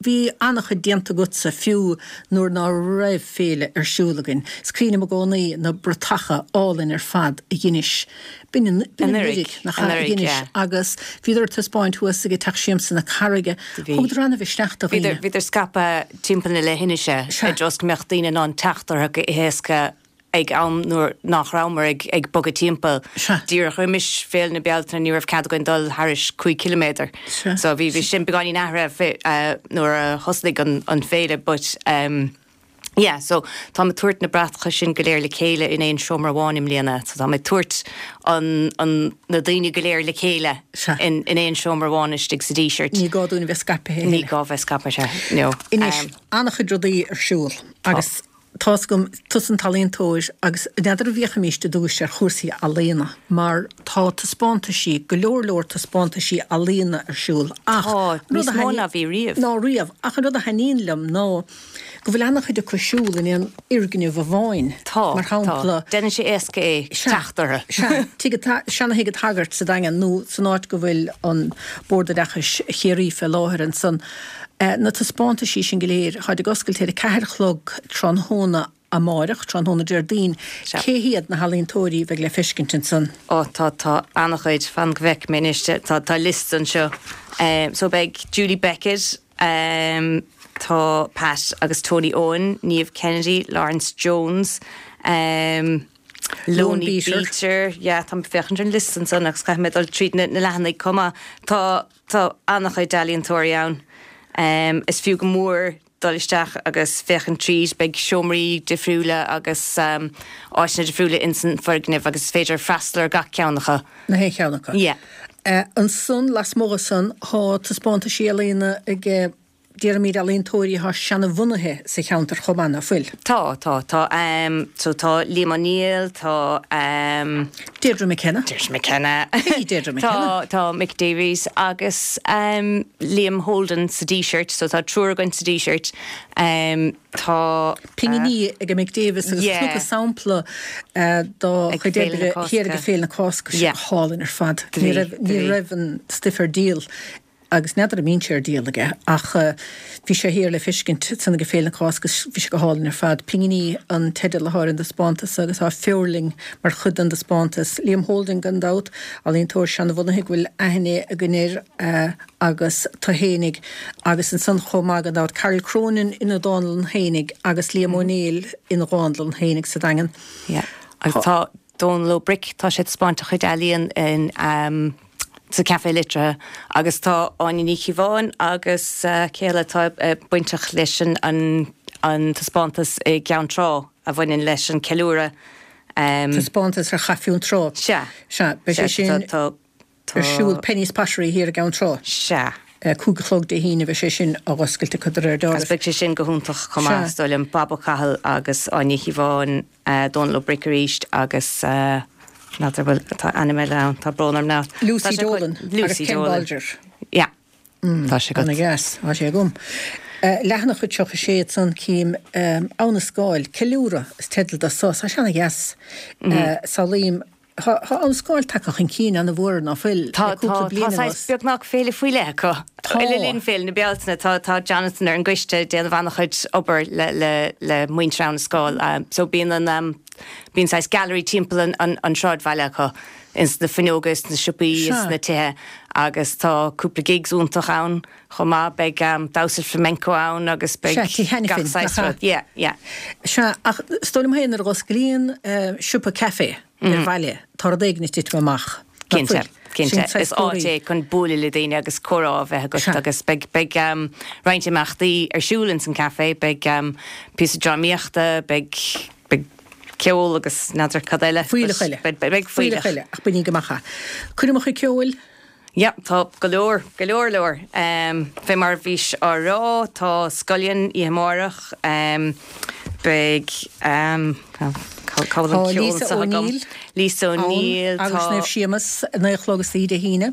Bhí an-chuid déanta agatsa fiú nuair ná raibh féile ar siúl againn. Is cuimhin liom i gcónaí na bratacha álainn ar fad a dheinis, b'in anuraidh, nach ea, a dheinis agus bhíodar ar taispeáint thuas ag Teach Siamsa na Carraige. Thugadar an-mhisneach do dhaoine. Bhíodar scaipthe timpeall na leithinise i dtreo is go mbeadh daoine in ann teacht orthu go héasca ag am nuair nach rabhamar ag bogadh timpeall. Díreach roimis Féile na Bealtaine ní raibh cead againn dul thairis 5 ciliméadar. So bhí bhí sin beagáinín athraithe nuair a thosnaigh an féile but yeah so táim ag tabhairt na bratacha sin go léir le chéile in aon seomra amháin i mbliana. So táim ag tabhairt an an na daoine go léir le chéile in in aon seomra amháin istigh sa Díseart. Ní gá dúinn a bheith scaipthe. Ní gá bheith scaipthe, no. Anois, an-chuid rudaí ar siúl agus. Tá's agam, tusa an t-ealaíontóir agus n'fheadar an bhféachfaimíst i dtús ar chúrsaí ealaíona mar tá taispeántaisí, go leor leor taispeántaisí ealaíona ar siúl ach Tá, níos mó ná bhí riamh. Ná riamh, ach an rud a thaitníonn liom ná go bhfuil ana-chuid acu ar siúl in aon fhoirgneamh amháin. Tá, Mar shampla. tá. Déanann sé éasca é teacht orthu. Sea, tigh an, seana-thigh an tSagairt sa Daingean nó san áit go bhfuil an Bord Oideachais Chiarraí fé láthair ansan. Na taispeántaisí sin go léir, táid ag oscailt ar a ceathair a chlog tráthnóna amáireach, tráthnóna Déardaoin. Cé hiad na healaíontóirí a bheidh le feiscint ansan? Ó, tá, tá an-chuid, fan go bhfeicfidh mé anois, tá, tá liosta anseo. So beidh Julie Beckett, tá Pat agus Tony Owen, Niamh Kennedy, Laurence Jones, Loni Beater, yeah, táim ag féachaint ar an liosta ansan agus caithfidh mé dul tríd na leathanaigh chomh maith. Tá. Tá an-chuid ealaíontóirí ann. Is fiú go mór dul isteach agus féachaint tríd. Beidh seomraí difriúla agus áiteanna difriúla ins an foirgneamh agus is féidir freastal ar gach ceann acu. Na haon cheann acu. Yeah. Ansan, lasmuigh dhe san, tá taispeántaisí ealaíona ag. Déarfaimid ealaíontóirí atá seanabhunaithe sa cheantar chomh maith, ná fuil? Tá, tá, tá. So tá Liam O'Neill, tá. Deirdre McKenna. Deirdre McKenna. Cé hí Deirdre McKenna? Tá, tá Mick Davies agus Liam Holden sa Díseart, so tá triúr againn sa Díseart. Tá. Pinginí ag Mick Davis agus Yeah. chonac sampla dá Ag chuid Féile na oibre Cásca. thiar ag Féile na Cásca, Yeah. go hálainn ar fad. Do Ní bhí, raibh, do ní bhí. raibh an stuif ar díol. Agus n'fheadar an mbíonn sé ar díol aige, ach bhí sé thiar le feiscint ansan ag Féile na Cásca agus bhí sé go hálainn ar fad. Pinginí an teideal atá ar an dtaispeántas agus tá feoirling mar chuid den dtaispeántas. Liam Holden gan dabht, ealaíontóir seanabhunaithe go bhfuil aithne againn air agus tú fhéinig agus ansan chomh maith gan dabht Carol Cronin ina dánlann fhéinig agus Liam Ó Néill ina dhánlann fhéinig sa Daingean. Yeah. Agus tá Dónal Ó Bric, tá sé ag taispeáint a chuid ealaíon in. sa Café Liteartha agus tá Áine Ní Chíobháin agus cé eile atá bainteach leis an an taispeántas i gCeann Trá a bhaineann leis an ceiliúradh. Taispeántas ar Chaife Fhionntrá. Sea. Sea, beidh sé sin Tá, tá. ar siúl Penny's Pottery thiar i gCeann Trá. Sea. 5 a chlog Dé hAoine beidh sé sin á oscailt acu de réir Agus dealraimh. beidh sé sin go hiontach chomh maith, Sea. is dóigh liom, Bob Ó Cathail agus Áine Ní Chíobháin. Dónal Ó Bric arís agus n'fheadar bhfuil, tá ainm eile ann, tá brón orm now. Lucy Dolan agus Ken Bolger. Yeah. Tá sé agat. Ana dheas, tá sé agam. Leathanach 36 ansan cím Abha na Scáil, Ceiliúradh is teideal do so, tá sé ana dheas. Samhlaím Tá Abha na Scáil tagtha chun cinn ana-mhór ná fuil Tá, le cúpla tá, bliain tá saghas anuas. beagnach féile faoi leith acu. Tá. Le linn Féile na Bealtaine, tá, tá Jonathan ar an gcoiste ag déanamh an-chuid obair le, le, le muintir Abha na Scáil. So bíonn an, bíonn saghas gallery timpeall an, an, an sráidbhaile acu, ins na fuinneoga, is na siopaí, Sea. is na tithe agus tá cúpla gigs iontach ann chomh maith. Beidh damhsa flamenco ann agus beidh Sea, Tigh gach Hanafin, saghas nach ea? rud. Yeah, yeah. Sea, ach is dóigh liom féin nuair a dh'osclaíonn siopa caife, ar bhaile, tá rud éigin ag titim amach. Nach Cinnte, fuil? cinnte. Sin saghas Is áit comharthaí. é chun bualadh le daoine agus comhrá a bheith agat Sea. agus beidh, beidh roinnt imeachtaí ar siúl ins an café, beidh píosa drámaíochta, beidh, beidh ceol agus n'fheadar cad eile. Fuílleach eile. Beidh, beidh Fuílleach fuílleach. eile, ach bainigí amach é. Coirmeacha ceoil? Yeah, tá go leor, go leor leor. Fé mar a bhís á rá, tá Scullion oíche amárach, beidh, cá bhfuil Tá an ceol Lisa anseo agam? O'Neill Lisa ann O'Neill, agus tá. Naomh Séamus, 9 a chlog istoíche Dé hAoine.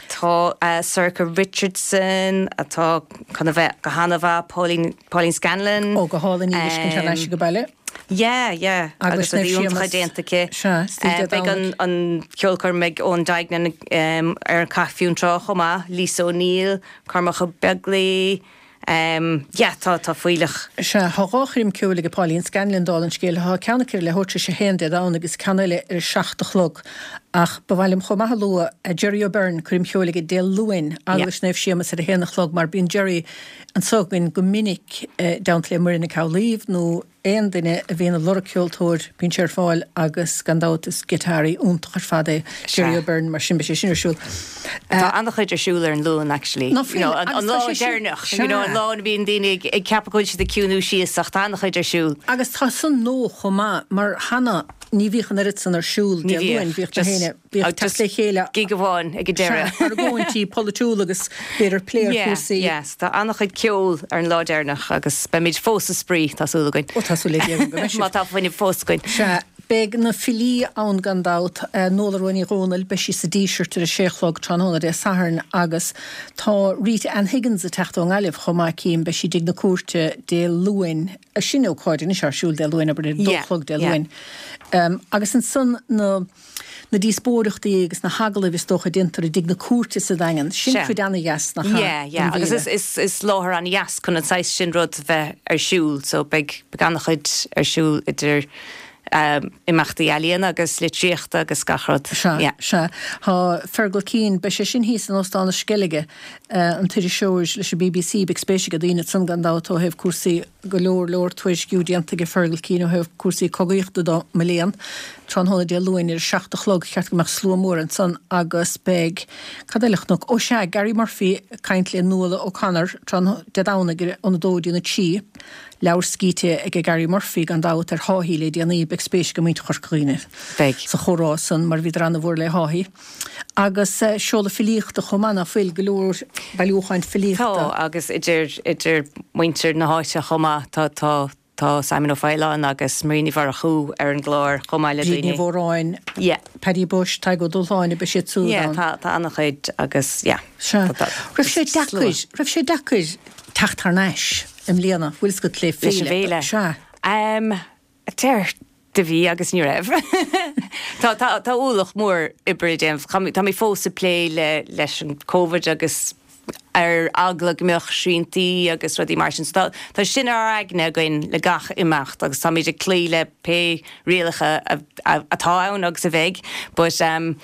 Tá Sorcha Richardson atá chun a bheith go hana-mhaith, Pauline, Pauline Scanlon. Ó, go hálainn í a fheiscint thar n-ais ag baile. Yeah, yeah, Agus agus rudaí Naomh iontacha Séamus. déanta aici. Sea, istoíche Dé Beidh an Domhnaigh. an ceolchoirm ag Eoin Duignan ar an Caife Fionntrá chomh maith, Lisa O'Neill, Cormac Ó Beaglaoi, yeah, tá tá fuílleach. Sea, tá dhá choirm ceoil ag Pauline Scanlon, dála an scéil. Tá ceann aici ar leathuair tar éis a haon Dé Domhnaigh agus ceann eile ar a seacht a chlog. Ach ba mhaith liom chomh maith a lua Jerry O'Byrne, coirm cheoil aige Dé Luain, Eaglais Naomh Séamus ar a haon a chlog mar bíonn Jerry anso againn go minic i dteannta le Muireann Nic Amhlaoibh nó aon duine a bhíonn ag lorg ceoltóir, bíonn sé ar fáil agus gan dabht is giotáraí iontach ar fad é Jerry O'Byrne mar sin beidh sé sin ar siúl. Tá an-chuid ar siúl ar an Luan actually. Ná fuil? You know, an Agus lá tá sé sin, deireanach, you know, an sea. lá ina mbíonn daoine ag ceapadh go bhfuil siad ag ciúnú síos ach tá an-chuid ar siúl. Agus tá san nua chomh maith mar cheana. Ní bhíodh an oiread san ar siúl Dé Luain, bhíodh na héinne, bhíodh teacht le chéile. Gig amháin ag an deireadh. Sea, argóintí polaitiúla agus b'fhéidir plé ar chúrsaí. Yeah, yeah, tá an-chuid ceoil ar an lá deireanach agus beimid fós ag spraoi, tá súil againn. Ó, tá súil le Dia agam go mbeidh sibh. Má tá fuinneamh fós againn. Sea, beidh na filí ann gan dabht, Nuala Rua Ní Dhomhnaill, beidh sí sa Díseart ar a sé a chlog tráthnóna Dé Sathairn agus tá Rita Ann Higgins ag teacht ón nGaillimh chomh maith, cím, beidh sí i dTigh na Cúirte Dé Luain. Sin ócáid anois ar siúl Dé Luain, abair, ar a dó a chlog Dé Luain. Agus ansan na na díospóireachtaí agus na hagallaimh is dócha a déantar i dTigh na Cúirte sa Daingean. Sin cuid ana-dheas, nach ea, Yeah, yeah. den Agus bhféile. is, is, is láthair ana-dheas chun an saghas sin rud bheith ar siúl. So beidh, beidh ana-chuid ar siúl idir imeachtaí ealaíona agus litríochta agus gach rud. Sea, Yeah. sea. Tá Fergal Keane, beidh sé sin thíos in Óstán na Sceilge, an t-iriseoir leis an bbc, beidh spéis ag daoine ansan gan dabht ó thaobh cúrsaí, go leor leor tuairisciú déanta aige Fergal Keane ó thaobh cúrsaí cogaíochta de, mo léan. Tráthnóna Dé Luain ar a 7 a chlog, cheart go mbeadh slua mór ansan agus beidh, cad eile a chonac, ó sea, Gary Murphy ag caint le Nuala O'Connor tráthnóna Dé Domhnaigh óna dó go dtí a 3. Leabhar scríte aige Gary Murphy gan dabht ar Haughey le déanaí, beidh spéis ag muintir Chorca Dhuibhne Beidh. sa chomhrá san mar bhíodar ana-mhór le Haughey. Agus seoladh filíochta chomh maith, ná fuil? Go leor bailiúcháin filíochta. Tá, agus idir, idir muintir na háite chomh maith, tá, tá, tá Simon Ó Faoláin agus Marie Ní Mhurchú ar an gclár chomh maith le Bríd Ní daoine. Mhóráin, Yeah. Paddy Bushe, Tadhg Ó Dúshláine, beidh siad siúd Yeah, ann. tá, tá an-chuid agus yeah. Sea. Tá, tá, Raibh sé slua. deacair, raibh sé deacair teacht thar n-ais i mbliana, bhfuil 's agat le Leis an féile? bhféile? Sea. Um, deir do bhí agus ní raibh. Tá, tá, tá ualach mór oibre le déanamh. Tá mé, tá mé fós ag plé le, leis an Covid agus ar eagla go mbeadh sriantaí agus rudaí mar sin. So tá, tá sin ar ár aigne againn le gach imeacht agus táimid ag cloí le pé rialacha a, a, atá ann agus a bheidh. But um,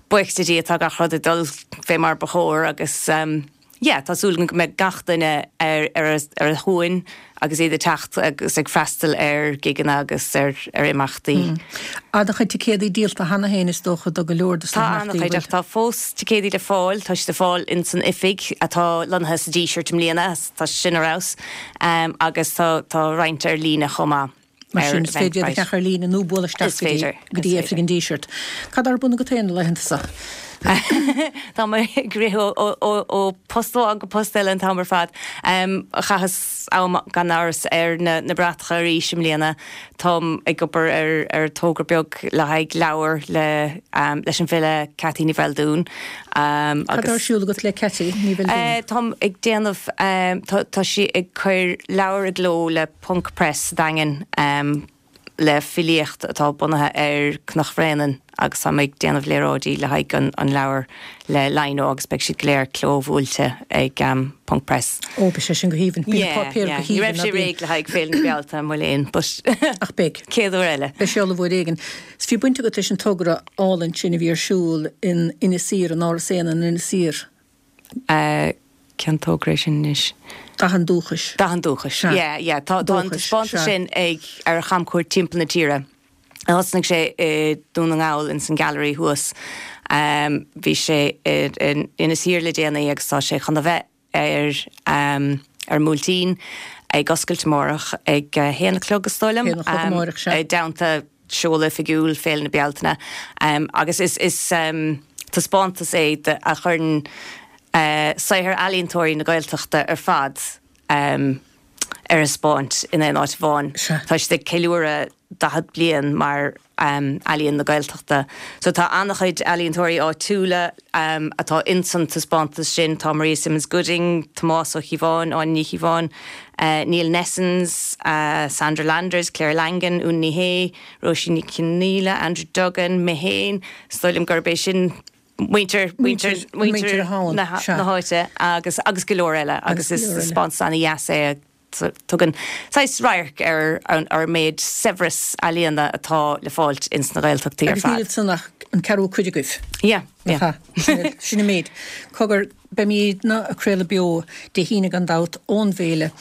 buíochas le Dia tá gach rud ag dul fé mar ba chóir agus um, Yeah, tá súil agam go mbeidh gach duine ar ar a shuan agus iad ag teacht agus ag freastal ar gigeanna agus ar ar imeachtaí. An-chuid ticéadaí díolta cheana féin is dócha do go leor de Tá na himeachtaí, an-chuid ach tá fós ticéadaí le fáil, tá siad le fáil ins an oifig atá lonnaithe sa Díseart i mbliana, tá sin ar fheabhas, agus tá tá roinnt ar líne chomh maith. Mar sin, is féidir iad a cheannach ar líne nó bualadh isteach go dtí go dtí oifig an Dísirt. Cad ar bun agat féin na laethanta seo? Tá mé ag rith ó post amháin go post eile an t-am ar fad. Chaitheas am gan amhras ar na bratacha arís i mbliana. Táim ag obair ar ar togra beag le haghaidh leabhar le leis an bhfile Ceaití Ní Bheildiúin. Cad ar siúl agat le Ceaití Ní Bheildiúin? Táim ag déanamh, tá sí ag cur leabhar i gcló le Ponc Press sa Daingean le filíocht atá bunaithe ar Cnoc Bhréanainn agus tá mé ag déanamh léaráidí le haghaidh an leabhair le lino agus beidh siad go léir clóbhuailte ag Ponc Press. Ó, beidh sé sin go haoibhinn. Bíonn Yeah, páipéar yeah. go Ní haoibhinn, raibh ná sé bíonn? réidh le haghaidh Féile na Bealtaine, mo léan, but Ach beidh. céad uair eile. Beidh sé ullamh uair éigin. 'S bhí baint agat leis an togra álainn sin a bhí ar siúl in Inis Oírr, in Áras Éanna in Inis Oírr. Cén togra é sin anois? Dath an Dúchais. Dath an Dúchais. Sea. Yeah, yeah. Tá tá an Dúchais, taispeántas sea. sin ag ar chamchuairt timpeall na tíre. Thosnaigh sé i Dún na nGall ins an Gallery thuas. Bhí sé in Inis Oírr le déanaí agus tá sé chun a bheith ar ar an mBuailtín ag oscailt amárach ag a haon a chlog is dóigh liom. Haon a chlog amárach, sea. I dteannta seoladh oifigiúil Féile na Bealtaine agus is is taispeántas é a chuireann saothar ealaíontóirí na Gaeltachta ar fad ar thaispeáint in aon áit amháin. Tá siad ag ceiliúradh 40 bliain mar Ealaíon na Gaeltachta. So tá an-chuid ealaíontóirí áitiúla atá ins an taispeántas sin, tá Maria Simmons Gooding, Tomás Ó Cíobháin, Áine Ní Chíobháin, Neil Nessens, Sandra Landers, Claire Langan, Úna Ní Shé, Róisín Ní Chionnaola, Andrew Duggan, mé féin, is dóigh liom gurb é sin muintir, muintir, muintir na háite agus, agus go leor eile agus is taispeántas ana-dheas é. Tugann saghas radharc ar an méid saibhreas ealaíona atá le fáilt ins na Gaeltachtaí ar Agus níl fad. ansan ach an ceathrú cuid agaibh. Yeah, yeah. Nach ea? Sin an méid. Cogar, beimídne ag craoladh beo Dé hAoine gan dabht ón bhféile,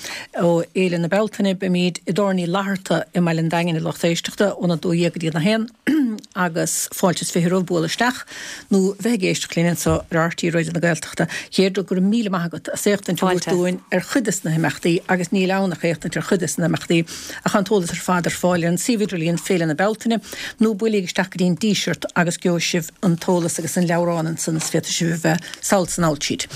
ó Fhéile na Bealtaine. Beimíd i dTábhairne Uí Fhlatharta i mBaile an Daingin a lucht éisteachta óna 12 go dtí an 1. Agus fáilte is 20 romhaibh bualadh isteach nó bheith ag éisteacht linn anseo ar RTÉ Raidió na Gaeltachta. Dheirdre, go raibh míle maith agat as éachtaint a thabhairt dúinn ar chuid des na himeachtaí agus níl ann ach éachtaint ar chuid des na himeachtaí ach tá an t-eolas ar fad ar fáil ar an suíomh idirlíon Féile na Bealtaine nó buailíg isteach go dtí an Díseart agus gheobhaidh sibh an t-eolas agus an leabhrán ansan is féadfaidh sibh a bheith sall 's anall tríd.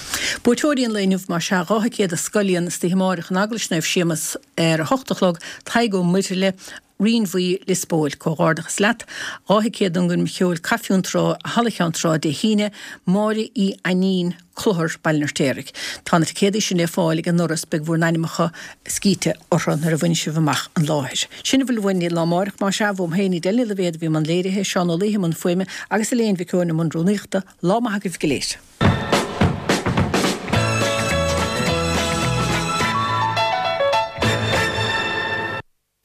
Buaiteoirí an lae inniu más ea, 2 thicéad do Scoil istoíche amáireach in Eaglais Naomh Séamus ar a hocht a chlog, Tadhg Ó Muirthile, Rinn Bhuí, Lios Póil. Comhghairdeachas leat. 2 thicéad don gcoirm cheoil Caife Cheann Trá i Halla Cheann Trá Dé hAoine, Máire Uí Ainnín, Clochar, Baile an Fheirtéaraigh. Tá na ticéadaí sin le fáil ag an ndoras, beidh bhur n-ainmeacha scríte orthu nuair a bhainfidh sibh amach an láthair. Sin a bhfuil uainn lá amáireach, más ea, uaim féin, Edel Ní Loibhéad a bhí i mbun léirithe, Seán Ó Laoithe i mbun fuaime agus Elaine Mhic Eoin i mbun rúnaíochta. Lá maith agaibh go léir.